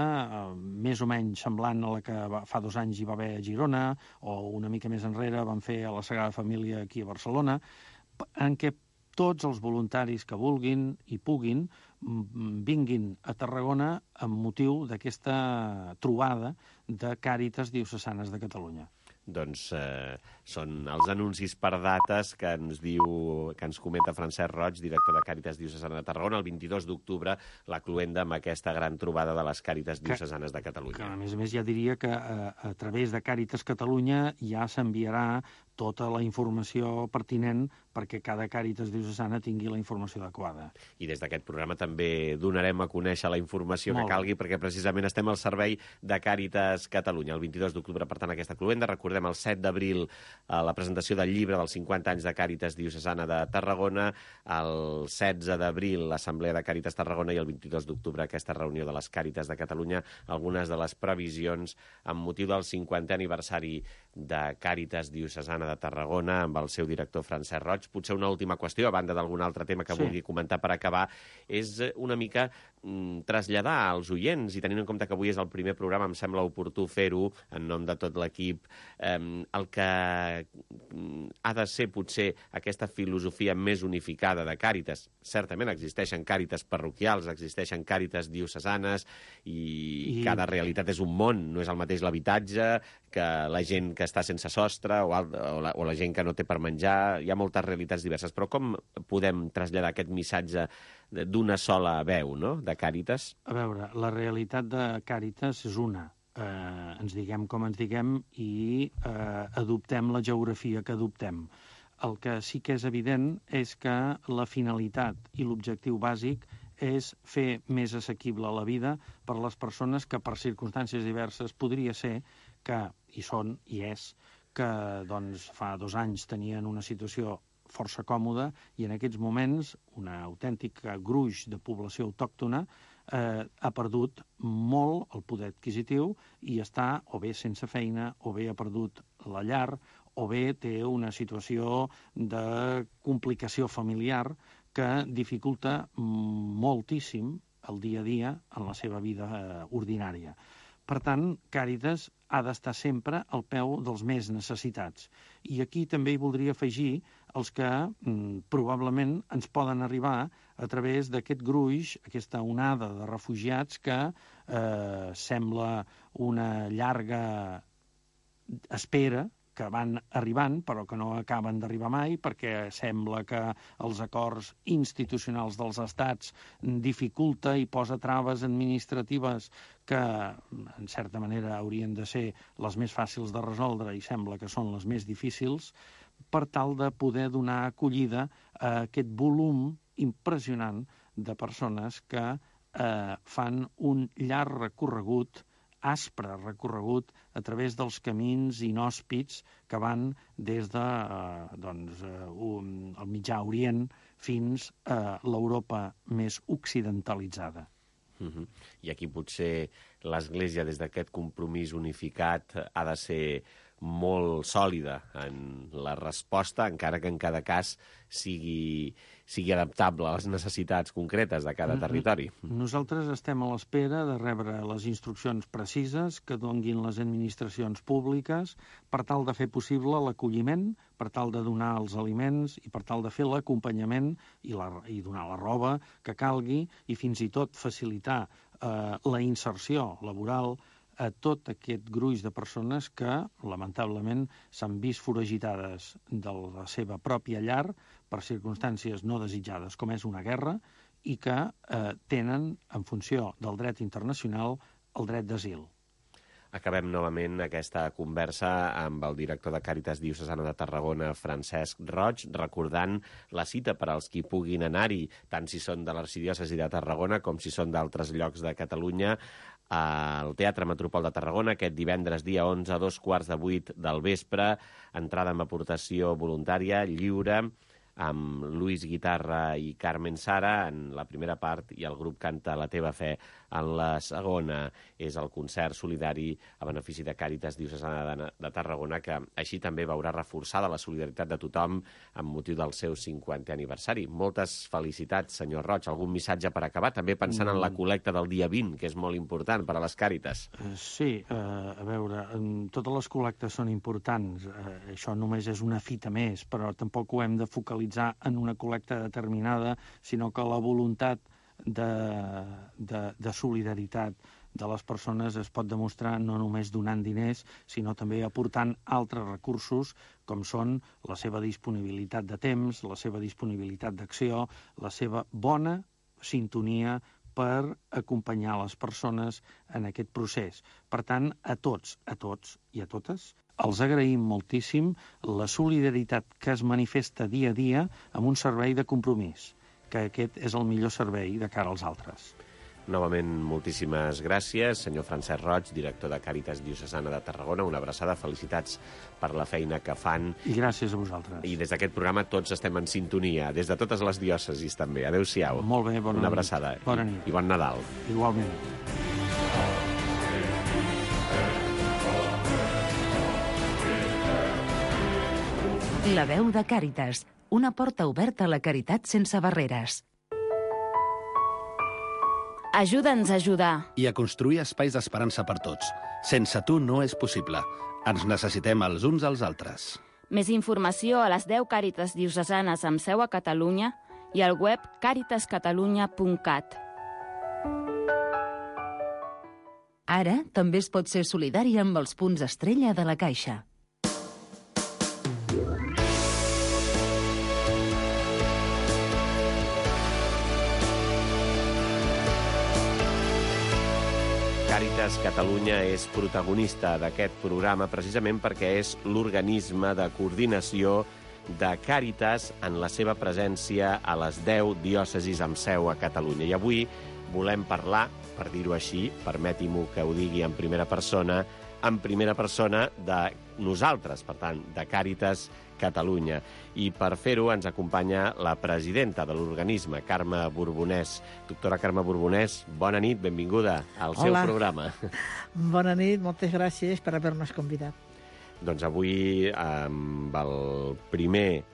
K: més o menys semblant a la que fa 2 anys hi va haver a Girona, o una mica més enrere van fer a la Sagrada Família aquí a Barcelona, en què tots els voluntaris que vulguin i puguin vinguin a Tarragona amb motiu d'aquesta trobada de Càritas Diocesanes de Catalunya.
I: Doncs són els anuncis per dates que ens comenta Francesc Roig, director de Càritas Diocesana de Tarragona, el 22 d'octubre, la cloenda amb aquesta gran trobada de les Càritas Diocesanes de Catalunya.
K: Que, a més, ja diria que a través de Càritas Catalunya ja s'enviarà tota la informació pertinent perquè cada Càritas Diocesana tingui la informació adequada.
I: I des d'aquest programa també donarem a conèixer la informació que calgui, perquè precisament estem al servei de Càritas Catalunya. El 22 d'octubre, per tant, aquesta cloenda. Recordem el 7 d'abril la presentació del llibre dels 50 anys de Càritas Diocesana de Tarragona, el 16 d'abril l'Assemblea de Càritas Tarragona i el 22 d'octubre aquesta reunió de les Càritas de Catalunya, algunes de les previsions amb motiu del 50è aniversari de Càritas Diocesana de Tarragona amb el seu director Francesc Roig. Potser una última qüestió, a banda d'algun altre tema que vulgui comentar per acabar, és una mica traslladar als oients, i tenint en compte que avui és el primer programa, em sembla oportú fer-ho en nom de tot l'equip, el que ha de ser potser aquesta filosofia més unificada de Càritas. Certament existeixen Càritas parroquials, existeixen Càritas diocesanes i cada realitat és un món, no és el mateix l'habitatge que la gent que està sense sostre o la gent que no té per menjar. Hi ha moltes realitats diverses, però com podem traslladar aquest missatge d'una sola veu, no?, de Càritas?
K: A veure, la realitat de Càritas és una. Ens diguem com ens diguem i adoptem la geografia que adoptem. El que sí que és evident és que la finalitat i l'objectiu bàsic és fer més assequible la vida per a les persones que per circumstàncies diverses podria ser que, i són, i és, que doncs, fa 2 anys tenien una situació força còmoda i en aquests moments una autèntica gruix de població autòctona ha perdut molt el poder adquisitiu i està o bé sense feina, o bé ha perdut la llar, o bé té una situació de complicació familiar que dificulta moltíssim el dia a dia en la seva vida ordinària. Per tant, Càritas ha d'estar sempre al peu dels més necessitats. I aquí també hi voldria afegir els que probablement ens poden arribar a través d'aquest gruix, aquesta onada de refugiats que sembla una llarga espera, que van arribant però que no acaben d'arribar mai perquè sembla que els acords institucionals dels estats dificulta i posa traves administratives que en certa manera haurien de ser les més fàcils de resoldre i sembla que són les més difícils, per tal de poder donar acollida a aquest volum impressionant de persones que fan un llarg recorregut, aspre recorregut a través dels camins inhòspits que van des de el Mitjà Orient fins a l'Europa més occidentalitzada.
I: I aquí potser l'Església, des d'aquest compromís unificat, ha de ser molt sòlida en la resposta, encara que en cada cas sigui adaptable a les necessitats concretes de cada territori.
K: Nosaltres estem a l'espera de rebre les instruccions precises que donguin les administracions públiques per tal de fer possible l'acolliment, per tal de donar els aliments i per tal de fer l'acompanyament i donar la roba que calgui i fins i tot facilitar la inserció laboral a tot aquest gruix de persones que, lamentablement, s'han vist foragitades de la seva pròpia llar per circumstàncies no desitjades, com és una guerra, i que tenen, en funció del dret internacional, el dret d'asil.
I: Acabem novament aquesta conversa amb el director de Càritas Diocesana de Tarragona, Francesc Roig, recordant la cita per als qui puguin anar-hi, tant si són de l'arxidiòcesi de Tarragona com si són d'altres llocs de Catalunya, al Teatre Metropol de Tarragona, aquest divendres dia 11 a 7:15 del vespre, entrada amb aportació voluntària, lliure, amb Luis Guitarra i Carmen Sara en la primera part i el grup canta La teva fe en la segona. És el concert solidari a benefici de Càritas Diocesana de Tarragona, que així també veurà reforçada la solidaritat de tothom amb motiu del seu 50è aniversari. Moltes felicitats, senyor Roig. Algun missatge per acabar? També pensant en la col·lecta del dia 20, que és molt important per a les Càritas.
K: Sí, a veure, totes les col·lectes són importants. Això només és una fita més, però tampoc ho hem de focalitzar en una col·lecta determinada, sinó que la voluntat de solidaritat de les persones es pot demostrar no només donant diners, sinó també aportant altres recursos, com són la seva disponibilitat de temps, la seva disponibilitat d'acció, la seva bona sintonia per acompanyar les persones en aquest procés. Per tant, a tots i a totes, els agraïm moltíssim la solidaritat que es manifesta dia a dia amb un servei de compromís, que aquest és el millor servei de cara als altres.
I: Novament, moltíssimes gràcies. Senyor Francesc Roig, director de Càritas Diocesana de Tarragona, una abraçada, felicitats per la feina que fan.
K: I gràcies a vosaltres.
I: I des d'aquest programa tots estem en sintonia, des de totes les diòcesis també. Adéu-siau.
K: Molt bé, bona nit.
I: Una abraçada.
K: Bona nit.
I: I bon Nadal.
K: Igualment.
B: La veu de Càritas, una porta oberta a la caritat sense barreres.
E: Ajuda'ns a ajudar.
F: I a construir espais d'esperança per tots. Sense tu no és possible. Ens necessitem els uns als altres.
E: Més informació a les 10 Càritas Diocesanes amb seu a Catalunya i al web caritascatalunya.cat.
B: Ara també es pot ser solidari amb els punts estrella de la Caixa.
I: Càritas Catalunya és protagonista d'aquest programa precisament perquè és l'organisme de coordinació de Càritas en la seva presència a les 10 diòcesis amb seu a Catalunya. I avui volem parlar, per dir-ho així, permeti-m'ho que ho digui en primera persona de nosaltres, per tant, de Càritas Catalunya. I per fer-ho ens acompanya la presidenta de l'organisme, Carme Borbonès. Doctora Carme Borbonès, bona nit, benvinguda al seu programa.
L: Bona nit, moltes gràcies per haver-nos convidat.
I: Doncs avui, amb el primer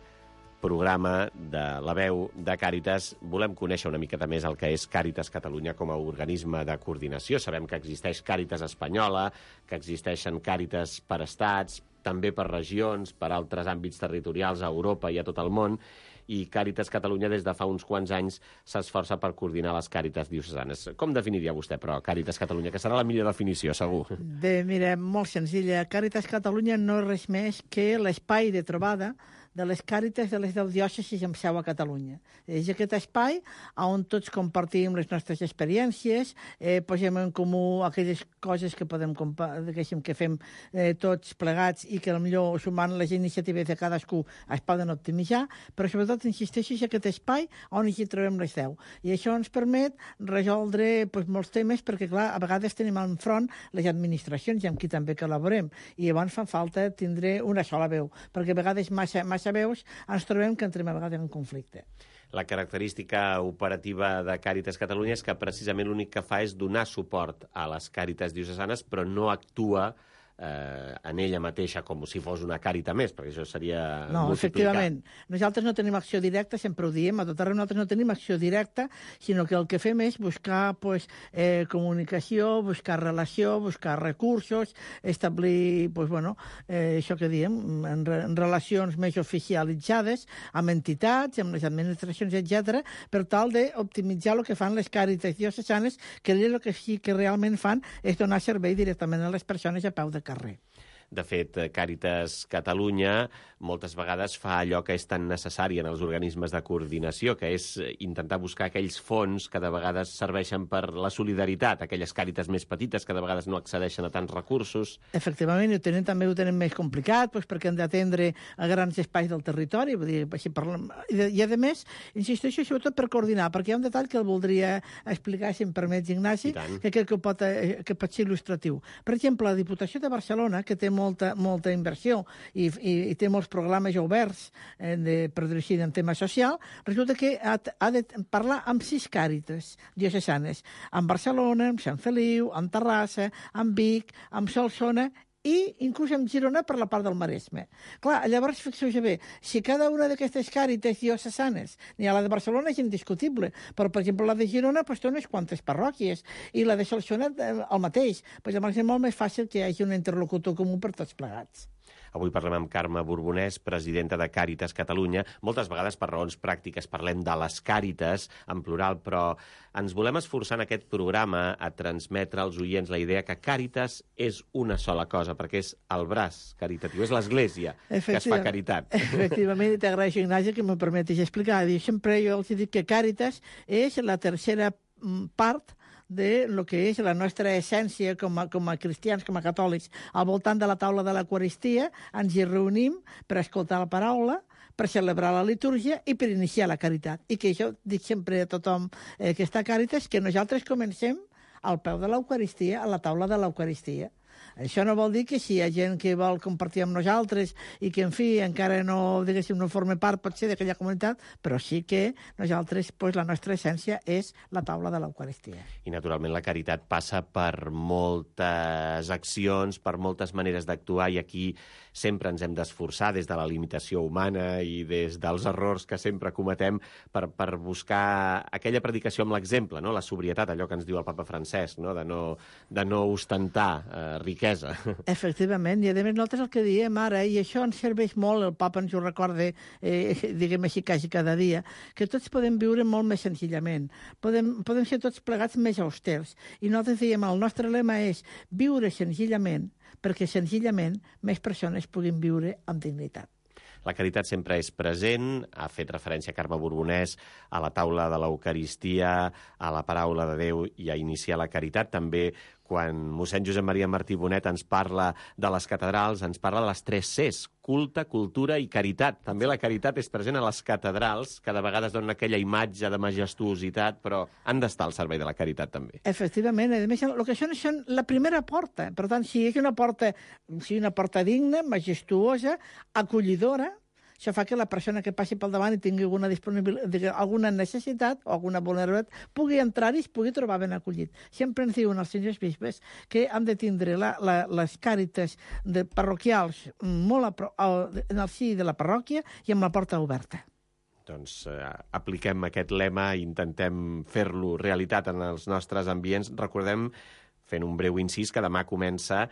I: programa de la veu de Càritas, volem conèixer una miqueta més el que és Càritas Catalunya com a organisme de coordinació. Sabem que existeix Càritas espanyola, que existeixen Càritas per estats, també per regions, per altres àmbits territorials a Europa i a tot el món, i Càritas Catalunya des de fa uns quants anys s'esforça per coordinar les Càritas diocesanes. Com definiria vostè, però, Càritas Catalunya, que serà la millor definició, segur?
L: Bé, mira, molt senzilla. Càritas Catalunya no és res més que l'espai de trobada de les Càritas de les 10 diòcesis amb seu a Catalunya. És aquest espai on tots compartim les nostres experiències, posem en comú aquelles coses que podem que fem tots plegats i que potser sumant les iniciatives de cadascú es poden optimitzar, però sobretot insisteixo en aquest espai on hi trobem les 10. I això ens permet resoldre molts temes perquè, clar, a vegades tenim enfront les administracions i amb qui també col·laborem. I llavors fa falta tindre una sola veu, perquè a vegades massa veus ens trobem que entrem a vegades en conflicte.
I: La característica operativa de Càritas Catalunya és que precisament l'únic que fa és donar suport a les Càritas diocesanes, però no actua en ella mateixa com si fos una càrita més, perquè això seria
L: no,
I: multiplicar.
L: Efectivament. Nosaltres no tenim acció directa, sempre ho diem, a tot arreu nosaltres no tenim acció directa, sinó que el que fem és buscar comunicació, buscar relació, buscar recursos, establir això que diem, en relacions més oficialitzades amb entitats, amb les administracions, etc., per tal d'optimitzar el que fan les Càritas diocesanes, que el que sí que realment fan és donar servei directament a les persones a peu de carrer.
I: De fet, Càritas Catalunya moltes vegades fa allò que és tan necessari en els organismes de coordinació, que és intentar buscar aquells fons que de vegades serveixen per la solidaritat, aquelles càritas més petites que de vegades no accedeixen a tants recursos.
L: Efectivament, també ho tenen més complicat, perquè han d'atendre a grans espais del territori, i a més, insisteixo sobretot per coordinar, perquè hi ha un detall que el voldria explicar, si em permets, Ignasi, que crec que pot ser il·lustratiu. Per exemple, la Diputació de Barcelona, que té molta inversió i té molts programes oberts, per dir-ho així, en tema social, resulta que ha de parlar amb 6 càritas diocesanes, amb Barcelona, amb Sant Feliu, amb Terrassa, amb Vic, amb Solsona i inclús amb Girona per la part del Maresme. Clar, llavors, fixeu-vos bé, si cada una d'aquestes càritas diocesanes, ni a la de Barcelona és indiscutible, però, per exemple, la de Girona té unes quantes parròquies, i la de Solsona el mateix. Llavors és molt més fàcil que hi hagi un interlocutor comú per tots plegats.
I: Avui parlem amb Carme Borbonès, presidenta de Càritas Catalunya. Moltes vegades, per raons pràctiques, parlem de les càritas en plural, però ens volem esforçar en aquest programa a transmetre als oients la idea que Càritas és una sola cosa, perquè és el braç caritatiu, és l'Església que es fa caritat.
L: Efectivament, i t'agraeixo, Ignasi, que me permetis explicar. Sempre jo els dic que Càritas és la tercera part de lo que és la nostra essència com a cristians, com a catòlics. Al voltant de la taula de l'Eucaristia ens hi reunim per escoltar la paraula, per celebrar la litúrgia i per iniciar la caritat. I que jo dic sempre a tothom que està a Càritas que nosaltres comencem al peu de l'Eucaristia, a la taula de l'Eucaristia. Això no vol dir que si hi ha gent que vol compartir amb nosaltres i que, en fi, encara no, diguéssim, no forma part, potser, d'aquella comunitat, però sí que nosaltres, la nostra essència és la taula de l'Eucaristia.
I: I, naturalment, la caritat passa per moltes accions, per moltes maneres d'actuar, i aquí sempre ens hem d'esforçar des de la limitació humana i des dels errors que sempre cometem per buscar aquella predicació amb l'exemple, no? La sobrietat, allò que ens diu el papa Francesc, no? De no ostentar riquesa.
L: Efectivament, i a més nosaltres el que diem ara, i això ens serveix molt, el papa ens ho recorda, diguem així, quasi cada dia, que tots podem viure molt més senzillament, podem ser tots plegats més austers, i nosaltres diem, el nostre lema és viure senzillament, perquè senzillament més persones puguin viure amb dignitat.
I: La caritat sempre és present, ha fet referència Carme Borbonès a la taula de l'Eucaristia, a la paraula de Déu i a iniciar la caritat. També quan mossèn Josep Maria Martí Bonet ens parla de les catedrals, ens parla de les 3 Cs, culte, cultura i caritat. També la caritat és present a les catedrals, que de vegades donen aquella imatge de majestuositat, però han d'estar al servei de la caritat també.
L: Efectivament, a més, el que són la primera porta. Per tant, si és una porta digna, majestuosa, acollidora, això fa que la persona que passi pel davant i tingui alguna necessitat o alguna vulnerabilitat pugui entrar-hi i es pugui trobar ben acollit. Sempre ens diuen els senyors bisbes que han de tindre les càrites parroquials molt en el si de la parròquia i amb la porta oberta.
I: Doncs apliquem aquest lema i intentem fer-lo realitat en els nostres ambients. Recordem, fent un breu incís, que demà comença,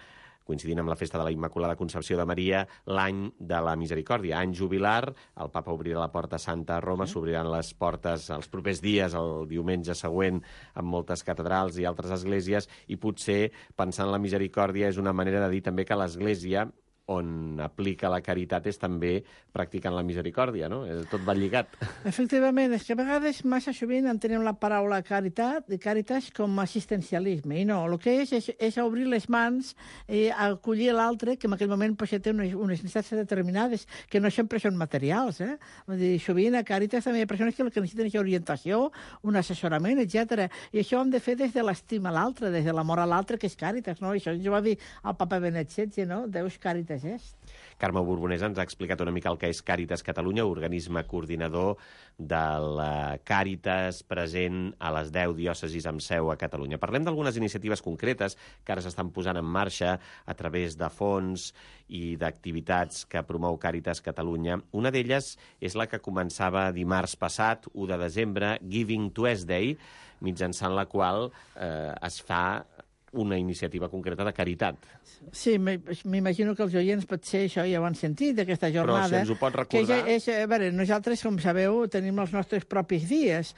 I: coincidint amb la festa de la Immaculada Concepció de Maria, l'any de la Misericòrdia, any jubilar. El papa obrirà la porta santa a Roma, s'obriran les portes els propers dies, el diumenge següent, en moltes catedrals i altres esglésies, i potser, pensant en la Misericòrdia, és una manera de dir també que l'Església, on aplica la caritat, és també practicant la misericòrdia, no? Tot va lligat.
L: Efectivament, és que a vegades massa sovint entenem la paraula caritas com assistencialisme, i no, el que és obrir les mans i acollir l'altre, que en aquell moment té unes necessitats determinades, que no sempre són materials, Vull dir, sovint a Càritas també hi ha persones que el que necessiten és orientació, un assessorament, etc. I això ho hem de fer des de l'estima a l'altre, des de l'amor a l'altre, que és Càritas, no? Això ens ho va dir el papa Benet XVI, no? Deus Càritas.
I: Carme Borbonès ens ha explicat una mica el que és Càritas Catalunya, organisme coordinador de la Càritas present a les 10 diòcesis amb seu a Catalunya. Parlem d'algunes iniciatives concretes que ara s'estan posant en marxa a través de fons i d'activitats que promou Càritas Catalunya. Una d'elles és la que començava dimarts passat, 1 de desembre, Giving Tuesday, mitjançant la qual es fa una iniciativa concreta de caritat.
L: Sí, m'imagino que els oients potser això ja ho han sentit, d'aquesta jornada.
I: Però si ens ho pot recordar...
L: A veure, nosaltres, com sabeu, tenim els nostres propis dies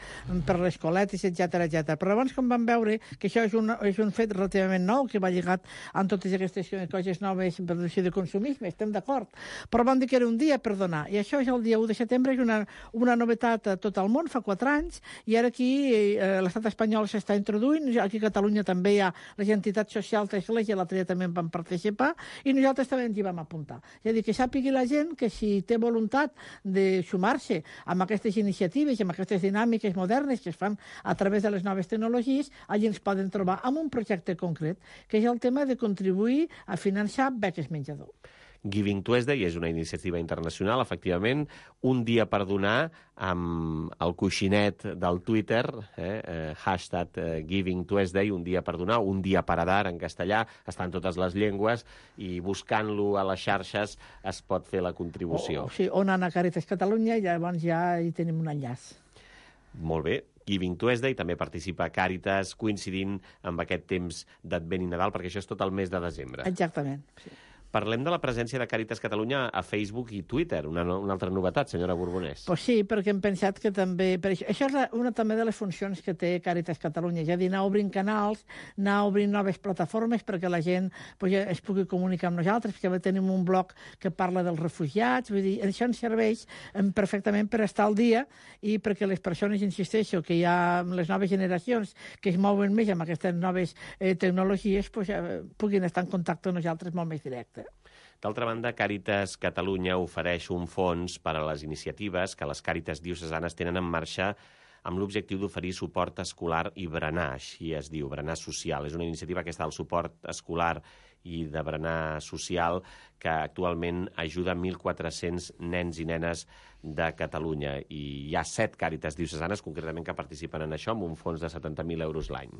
L: per les coletes, etc. Però abans, com vam veure que això és un fet relativament nou, que va lligat amb totes aquestes coses noves per decisió de consumisme, estem d'acord. Però vam dir que era un dia per donar. I això és el dia 1 de setembre, és una novetat a tot el món, fa 4 anys, i ara aquí l'estat espanyol s'està introduint, aquí a Catalunya també hi ha la altres entitats socials de l'Església l'altre dia també van participar i nosaltres també ens hi vam apuntar. És a dir, que sàpigui la gent que si té voluntat de sumar-se amb aquestes iniciatives i amb aquestes dinàmiques modernes que es fan a través de les noves tecnologies, allí ens poden trobar amb un projecte concret, que és el tema de contribuir a finançar beques menjador.
I: Giving Tuesday és una iniciativa internacional, efectivament, un dia per donar amb el coixinet del Twitter, hashtag Giving Tuesday, un dia per donar, un dia per a dar en castellà, està en totes les llengües i buscant-lo a les xarxes es pot fer la contribució.
L: Sí, on anar a Càritas Catalunya i llavors ja hi tenim un enllaç.
I: Molt bé. Giving Tuesday, també participa Càritas, coincidint amb aquest temps d'Advent i Nadal, perquè això és tot el mes de desembre.
L: Exactament, sí.
I: Parlem de la presència de Càritas Catalunya a Facebook i Twitter, una altra novetat, senyora Borbonès.
L: Pues sí, perquè hem pensat que també... Això és una també de les funcions que té Càritas Catalunya, és a dir, anar obrint canals, anar obrint noves plataformes perquè la gent es pugui comunicar amb nosaltres, perquè tenim un blog que parla dels refugiats, vull dir, això ens serveix perfectament per estar al dia i perquè les persones, insisteixo, que hi ha les noves generacions que es mouen més amb aquestes noves tecnologies, puguin estar en contacte amb nosaltres molt més directe.
I: D'altra banda, Càritas Catalunya ofereix un fons per a les iniciatives que les Càritas diocesanes tenen en marxa amb l'objectiu d'oferir suport escolar i berenar, així es diu, berenar social. És una iniciativa que està al suport escolar i de berenar social que actualment ajuda 1.400 nens i nenes de Catalunya. I hi ha 7 Càritas diocesanes, concretament, que participen en això, amb un fons de 70.000 euros l'any.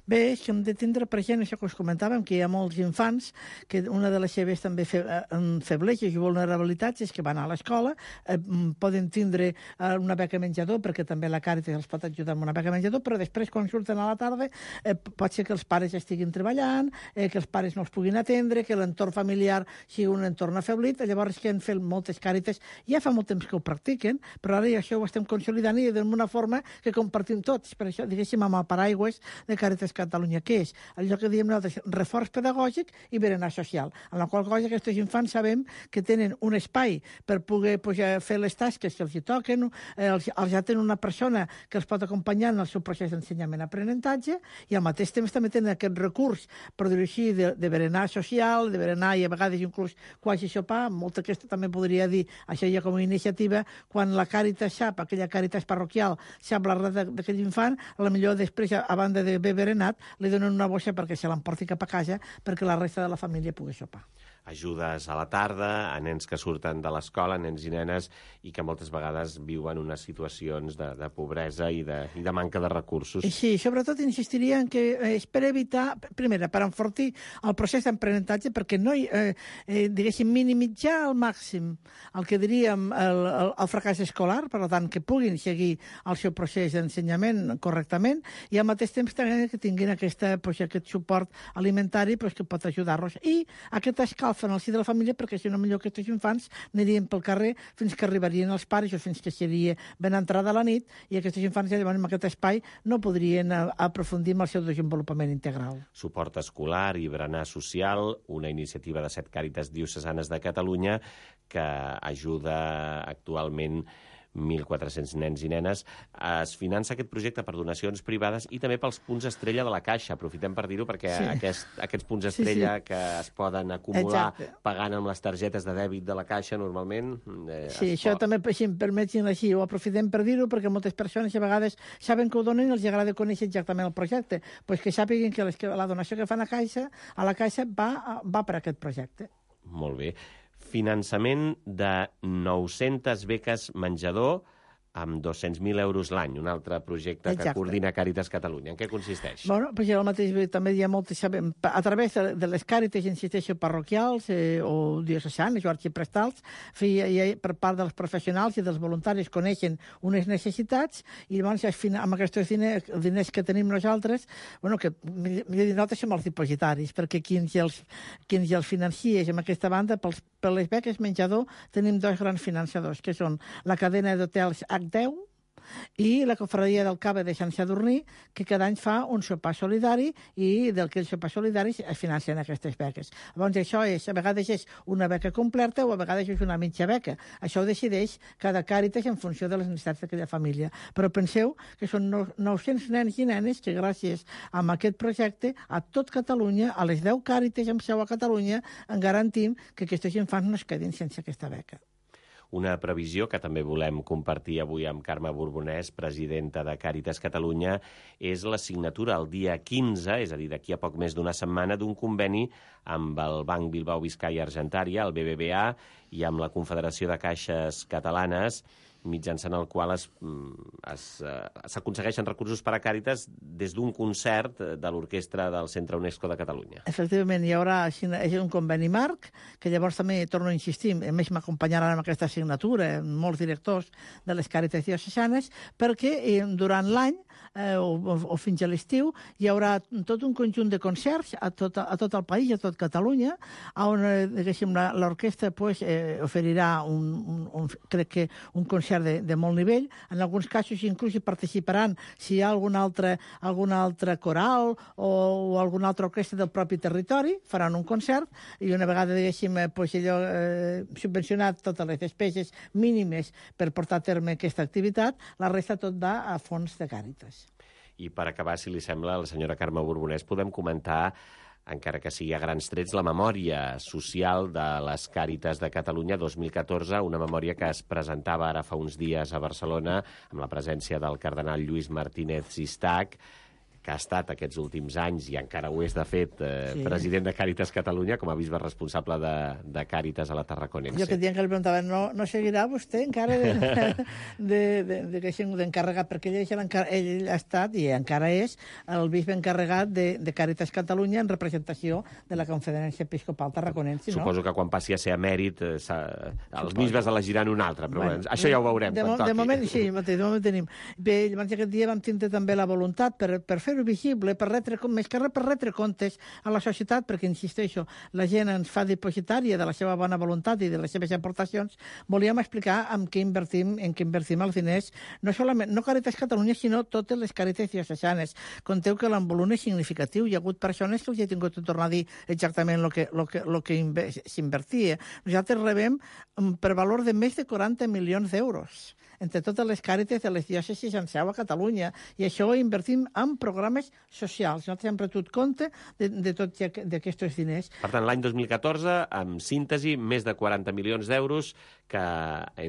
L: Bé, és que hem de tindre present això que us comentàvem, que hi ha molts infants que una de les seves també febleses i vulnerabilitats és que van a l'escola, poden tindre una beca menjador, perquè també la Càritas els pot ajudar amb una beca menjador, però després, quan surten a la tarda, pot ser que els pares estiguin treballant, que els pares no els puguin atendre, que l'entorn familiar sigui un entorn afeblit. Llavors, que han fet moltes Càritas, ja fa molt temps que ho practiquen, però ara ja això ho estem consolidant i d'una forma que compartim tots. Per això, diguéssim, amb el paraigües de Càritas Catalunya, que és allò que diem nosaltres, reforç pedagògic i berenar social, en la qual cosa aquests infants sabem que tenen un espai per poder fer les tasques que els hi toquen, els ja tenen una persona que els pot acompanyar en el seu procés d'ensenyament-aprenentatge i al mateix temps també tenen aquest recurs, per dir-ho així, de berenar social, de berenar i a vegades inclús quasi sopar. Molta aquesta també podria dir, això ja com a iniciativa, quan la Càritas sap, aquella Càritas parroquial, sap la res d'aquell infant, potser després, a banda de haver berenat, li donen una bossa perquè se l'emporti cap a casa perquè la resta de la família pugui sopar.
I: Ajudes a la tarda a nens que surten de l'escola, nens i nenes, i que moltes vegades viuen unes situacions de pobresa i de manca de recursos.
L: Sí, sobretot insistiria en que és per evitar, primera, per enfortir el procés d'aprenentatge, perquè no diguéssim, minimitzar al màxim el que diríem el fracàs escolar, per tant, que puguin seguir el seu procés d'ensenyament correctament, i al mateix temps també que tinguin aquest suport alimentari que pot ajudar-los. I aquest escalf en el si de la família, perquè si no millor que aquests infants anirien pel carrer fins que arribarien els pares o fins que seria ben entrada a la nit, i aquests infants ja llavors en aquest espai no podrien aprofundir en el seu desenvolupament integral.
I: Suport escolar i berenar social, una iniciativa de 7 Càritas diocesanes de Catalunya que ajuda actualment 1.400 nens i nenes. Es finança aquest projecte per donacions privades i també pels punts estrella de la Caixa. Aprofitem per dir-ho perquè aquests punts estrella que es poden acumular pagant amb les targetes de dèbit de la Caixa normalment...
L: això també, si em permetin així, ho aprofitem per dir-ho perquè moltes persones a vegades saben que ho donen i els agrada conèixer exactament el projecte. Pues que sàpiguen que la donació que fan a la Caixa va per aquest projecte.
I: Molt bé. Finançament de 900 beques menjador amb 200.000 euros l'any, un altre projecte que coordina Càritas Catalunya. En què consisteix?
L: Bueno, pues el mateix, també hi ha moltes... A través de les Càritas, insisteixo, parroquials o diocesanes o arxiprestals, per part dels professionals i dels voluntaris coneixen unes necessitats i llavors amb aquests diners que tenim nosaltres, bueno, que nosaltres som els dipositaris, perquè qui ens els financia amb aquesta banda, per les beques menjador tenim 2 grans finançadors, que són la cadena d'hotels H10, i la Confraria del Cava de Sant Sadurní, que cada any fa un sopar solidari i d'aquells sopars solidaris es financen aquestes beques. Llavors, això és, a vegades és una beca completa o a vegades és una mitja beca. Això ho decideix cada Càritas en funció de les necessitats d'aquella família. Però penseu que són 900 nens i nenes que gràcies a aquest projecte a tot Catalunya, a les 10 Càritas amb seu a Catalunya, en garantim que aquests infants no es quedin sense aquesta beca.
I: Una previsió que també volem compartir avui amb Carme Borbonès, presidenta de Càritas Catalunya, és la signatura el dia 15, és a dir, d'aquí a poc més d'una setmana, d'un conveni amb el Banc Bilbao Vizcaya Argentaria, el BBVA, i amb la Confederació de Caixes Catalanes, mitjançant el qual s'aconsegueixen recursos per a Càritas des d'un concert de l'orquestra del Centre UNESCO de Catalunya.
L: Efectivament, hi haurà un conveni marc, que llavors també torno a insistir, a més m'acompanyaran amb aquesta signatura molts directors de les Càritas diocesanes, perquè durant l'any o fins a l'estiu hi haurà tot un conjunt de concerts a tot el país, a tot Catalunya, on l'orquestra oferirà crec que un concert de molt nivell. En alguns casos inclús hi participaran si hi ha algun altre coral o alguna altra orquestra del propi territori, faran un concert i una vegada, subvencionat totes les despeses mínimes per portar a terme aquesta activitat, la resta tot va a fons de Càritas.
I: I per acabar, si li sembla, la senyora Carme Borbonès, podem comentar, encara que sigui a grans trets, la memòria social de les Càritas de Catalunya 2014, una memòria que es presentava ara fa uns dies a Barcelona amb la presència del cardenal Lluís Martínez Sistac, que ha estat aquests últims anys, i encara ho és de fet, president de Càritas Catalunya, com a bisbe responsable de Càritas a la Tarraconense.
L: Jo aquest dia que li preguntava, no seguirà vostè encara d'encarregat, perquè ell ha estat i encara és el bisbe encarregat de Càritas Catalunya en representació de la Conferència Episcopal Tarraconense.
I: Suposo que quan passi a ser emèrit els bisbes elegiran un altre, però això ja ho veurem.
L: De moment sí, de moment tenim. Bé, llavors aquest dia vam tindre també la voluntat per fer visible, més que res per retre comptes a la societat, perquè, insisteixo, la gent ens fa depositària de la seva bona voluntat i de les seves aportacions. Volíem explicar en què invertim els diners, no Càritas Catalunya, sinó totes les Càritas diocesanes. Conteu que l'envolum és significatiu. Hi ha hagut persones que els he tingut de tornar a dir exactament el que s'invertia. Nosaltres rebem per valor de més de 40 milions d'euros entre totes les Càritas de les diòcesis en seu a Catalunya, i això ho invertim en programes socials. Nosaltres hem retut compte de tots aquests diners.
I: Per tant, l'any 2014, amb síntesi, més de 40 milions d'euros que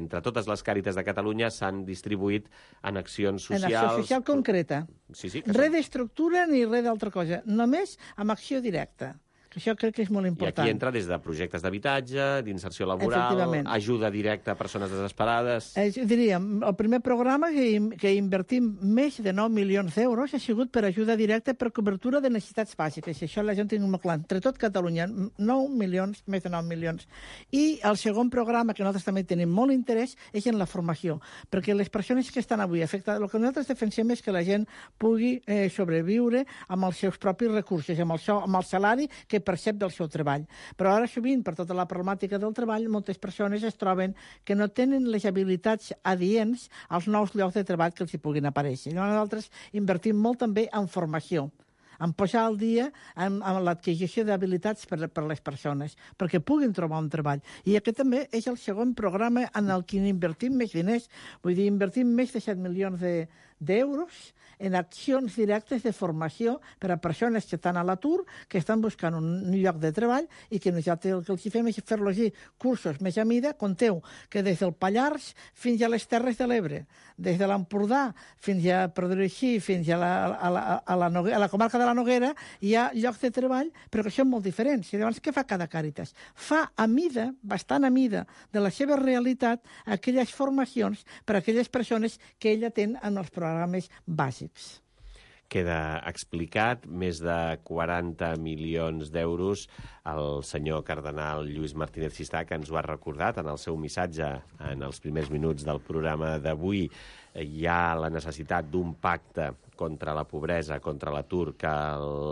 I: entre totes les Càritas de Catalunya s'han distribuït en accions socials.
L: En acció social concreta.
I: Sí,
L: res d'estructura ni res d'altra cosa, només amb acció directa. Això crec que és molt important.
I: I aquí entra des de projectes d'habitatge, d'inserció laboral, ajuda directa a persones desesperades...
L: Diríem, el primer programa que invertim més de 9 milions d'euros ha sigut per ajuda directa per cobertura de necessitats bàsiques. Això la gent tingui molt clar. Entre tot Catalunya, 9 milions, més de 9 milions. I el segon programa, que nosaltres també tenim molt interès, és en la formació. Perquè les persones que estan avui afectades, el que nosaltres defensem és que la gent pugui sobreviure amb els seus propis recursos, amb el salari que percep del seu treball. Però ara sovint, per tota la problemàtica del treball, moltes persones es troben que no tenen les habilitats adients als nous llocs de treball que els hi puguin aparèixer. Nosaltres invertim molt també en formació, en posar al dia amb l'adquisició d'habilitats per les persones, perquè puguin trobar un treball. I aquest també és el segon programa en el que invertim més diners. Vull dir, invertim més de 7 milions d'euros en accions directes de formació per a persones que estan a l'atur, que estan buscant un lloc de treball i que nosaltres el que els fem és fer-los cursos més a mida. Conteu que des del Pallars fins a les Terres de l'Ebre, des de l'Empordà fins a, per dir-ho així, fins a la comarca de la Noguera, hi ha llocs de treball, però que són molt diferents. I llavors, què fa cada Càritas? Fa a mida, bastant a mida, de la seva realitat, aquelles formacions per a aquelles persones que ella té en els programes bàsics.
I: Queda explicat, més de 40 milions d'euros. El senyor cardenal Lluís Martínez Sistac ens ho ha recordat en el seu missatge en els primers minuts del programa d'avui. Hi ha la necessitat d'un pacte contra la pobresa, contra l'atur, que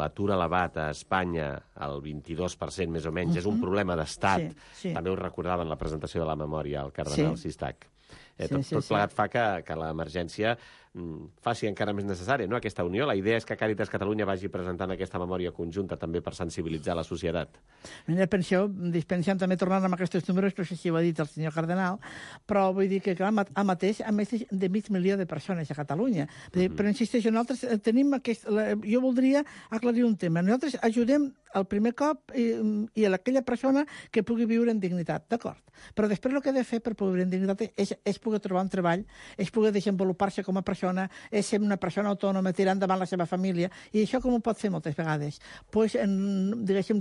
I: l'atur elevat a Espanya, el 22% més o menys, és un problema d'estat. Sí. També ho recordava en la presentació de la memòria el cardenal Sistac. Tot plegat fa que l'emergència faci encara més necessària, no?, aquesta unió. La idea és que Càritas Catalunya vagi presentant aquesta memòria conjunta també per sensibilitzar la societat.
L: Mira, pensem també tornant amb aquests números, no sé si ho ha dit el senyor Cardenal, però vull dir que, clar, a mateix, a més de 500.000 de persones a Catalunya. Però insisteixo, nosaltres tenim jo voldria aclarir un tema. Nosaltres ajudem el primer cop i a aquella persona que pugui viure en dignitat, d'acord? Però després el que ha de fer per poder viure en dignitat és poder trobar un treball, és poder desenvolupar-se com a persona, és ser una persona autònoma, tirar endavant la seva família, i això com ho pot fer moltes vegades? Doncs, diguéssim,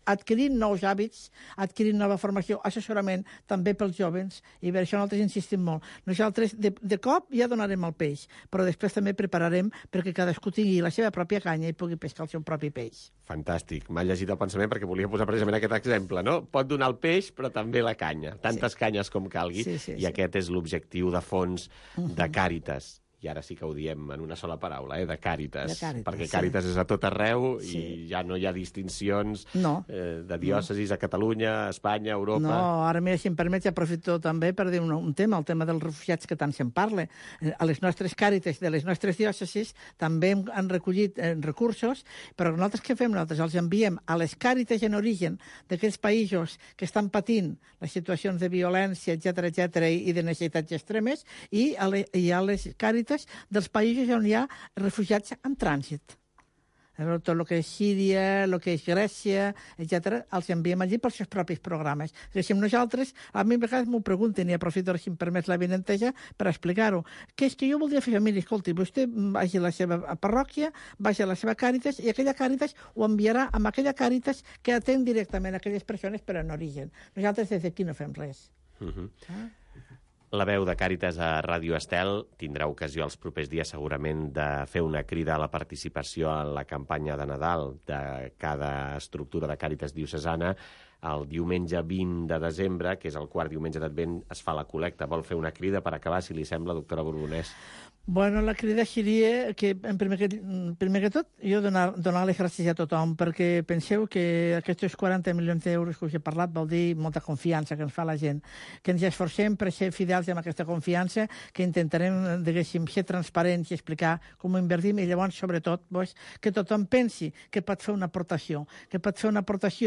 L: adquirint nous hàbits, adquirint nova formació, assessorament també pels jovens, i per això nosaltres insistim molt. Nosaltres de cop ja donarem el peix, però després també prepararem perquè cadascú tingui la seva pròpia canya i pugui pescar el seu propi peix.
I: Fantàstic. M'ha llegit el pensament perquè volia posar precisament aquest exemple, no? Pot donar el peix, però també la canya. Tantes canyes com calgui, i aquest és l'objectiu de fons de Càritas. I ara sí que ho diem en una sola paraula, de Càritas, perquè Càritas és a tot arreu i ja no hi ha distincions de diòcesis a Catalunya, a Espanya, a Europa...
L: No, ara, mira, si em permets, aprofito també per dir un tema, el tema dels refugiats que tant se'n parla. A les nostres Càritas de les nostres diòcesis també han recollit recursos, però nosaltres què fem? Nosaltres els enviem a les Càritas en origen d'aquells països que estan patint les situacions de violència, etc i de necessitats extremes, i a les Càritas dels països on hi ha refugiats en trànsit. Tot el que és Síria, el que és Grècia, etc., els enviem allí pels seus propis programes. Nosaltres, a mi a vegades m'ho pregunten, i aprofito, si em permet la vinenteja, per explicar-ho. Que és que jo voldria fer, mira, escolti, vostè vagi a la seva parròquia, vagi a la seva Càritas, i aquella Càritas ho enviarà amb aquella Càritas que atén directament a aquelles persones per en origen. Nosaltres des d'aquí no fem res.
I: La veu de Càritas a Ràdio Estel tindrà ocasió els propers dies segurament de fer una crida a la participació en la campanya de Nadal de cada estructura de Càritas diocesana. El diumenge 20 de desembre, que és el quart diumenge d'Advent, es fa la col·lecta. Vol fer una crida per acabar, si li sembla, doctora Borbonès?
L: Bueno, la crida seria que, primer que tot, jo donar les gràcies a tothom, perquè penseu que aquests 40 milions d'euros que us he parlat vol dir molta confiança que ens fa la gent, que ens esforcem per ser fidels amb aquesta confiança, que intentarem, diguéssim, ser transparents i explicar com ho invertim, i llavors, sobretot, que tothom pensi que pot fer una aportació,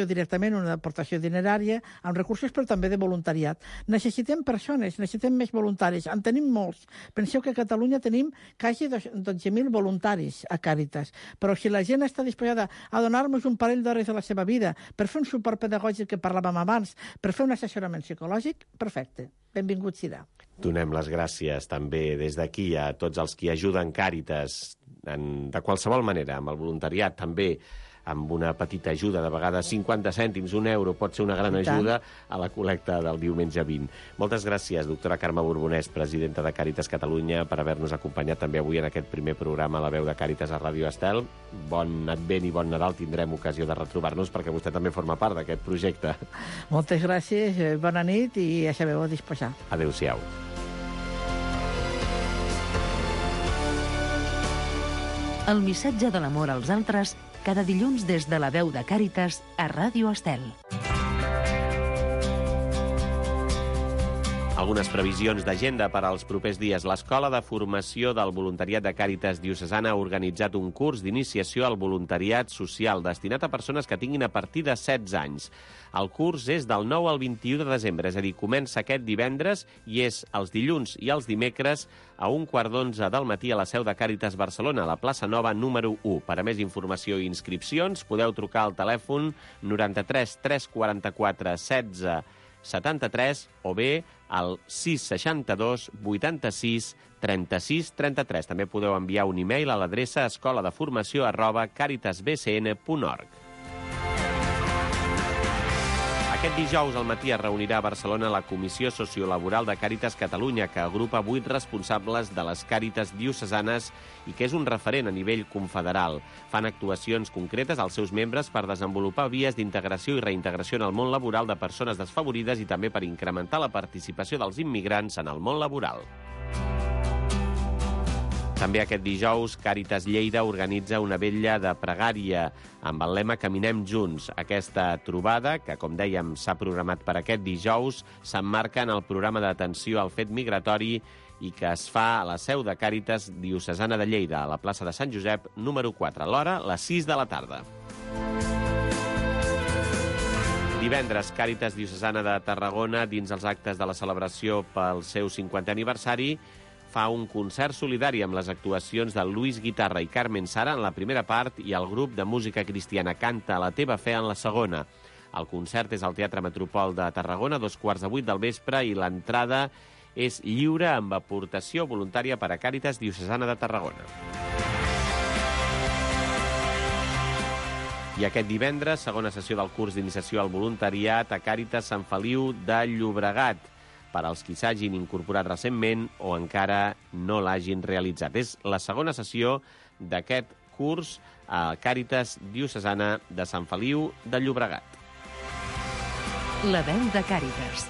L: directament, una aportació dinerària, amb recursos, però també de voluntariat. Necessitem persones, necessitem més voluntaris, en tenim molts. Penseu que a Catalunya tenim quasi 12.000 voluntaris a Càritas, però si la gent està disposada a donar-nos un parell d'hores de la seva vida per fer un suport pedagògic que parlàvem abans, per fer un assessorament psicològic, perfecte, benvingut serà.
I: Donem les gràcies també des d'aquí a tots els qui ajuden Càritas de qualsevol manera, amb el voluntariat també, amb una petita ajuda, de vegades 50 cèntims, €1, pot ser una gran ajuda a la col·lecta del diumenge 20. Moltes gràcies, doctora Carme Borbonès, presidenta de Càritas Catalunya, per haver-nos acompanyat també avui en aquest primer programa, La veu de Càritas a Ràdio Estel. Bon Advent i bon Nadal, tindrem ocasió de retrobar-nos perquè vostè també forma part d'aquest projecte.
L: Moltes gràcies, bona nit i ja sabeu a disposar.
I: Adéu-siau.
B: El missatge de l'amor als altres cada dilluns des de La veu de Càritas a Ràdio Estel.
I: Algunes previsions d'agenda per als propers dies. L'Escola de Formació del Voluntariat de Càritas Diocesana ha organitzat un curs d'iniciació al voluntariat social destinat a persones que tinguin a partir de 16 anys. El curs és del 9 al 21 de desembre, és a dir, comença aquest divendres i és els dilluns i els dimecres a 1:15 del matí a la seu de Càritas Barcelona, a la plaça Nova número 1. Per a més informació i inscripcions podeu trucar al telèfon 93 344 16 73 o bé al 662 86 36 33. També podeu enviar un e-mail a l'adreça escoladeformació@caritasbcn.org. Aquest dijous al matí es reunirà a Barcelona la Comissió Sociolaboral de Càritas Catalunya, que agrupa 8 responsables de les Càritas diocesanes i que és un referent a nivell confederal. Fan actuacions concretes als seus membres per desenvolupar vies d'integració i reintegració en el món laboral de persones desfavorides i també per incrementar la participació dels immigrants en el món laboral. També aquest dijous, Càritas Lleida organitza una vetlla de pregària amb el lema Caminem Junts. Aquesta trobada, que com dèiem s'ha programat per aquest dijous, s'emmarca en el programa d'atenció al fet migratori i que es fa a la seu de Càritas Diocesana de Lleida, a la plaça de Sant Josep, número 4, l'hora, les 6 de la tarda. Divendres, Càritas Diocesana de Tarragona, dins els actes de la celebració pel seu 50è aniversari, fa un concert solidari amb les actuacions de Luis Guitarra i Carmen Sara en la primera part i el grup de música cristiana Canta la teva fe en la segona. El concert és al Teatre Metropol de Tarragona, 7:15 del vespre, i l'entrada és lliure amb aportació voluntària per a Càritas Diocesana de Tarragona. I aquest divendres, segona sessió del curs d'iniciació al voluntariat a Càritas Sant Feliu de Llobregat, per als qui s'hagin incorporat recentment o encara no l'hagin realitzat. És la segona sessió d'aquest curs a Càritas Diocesana de Sant Feliu de Llobregat.
B: La veu de Càritas.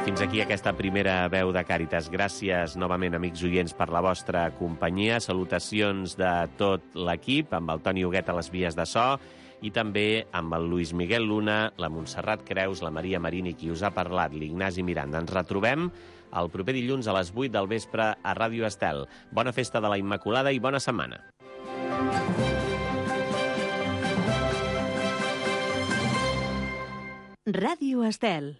I: Fins aquí aquesta primera veu de Càritas. Gràcies novament, amics oients, per la vostra companyia. Salutacions de tot l'equip, amb el Toni Huguet a les vies de so, i també amb el Luis Miguel Luna, la Montserrat Creus, la Maria Marini, qui us ha parlat, l'Ignasi Miranda. Ens retrobem el proper dilluns a les 8 del vespre a Ràdio Estel. Bona festa de la Immaculada i bona setmana.
B: Ràdio Estel.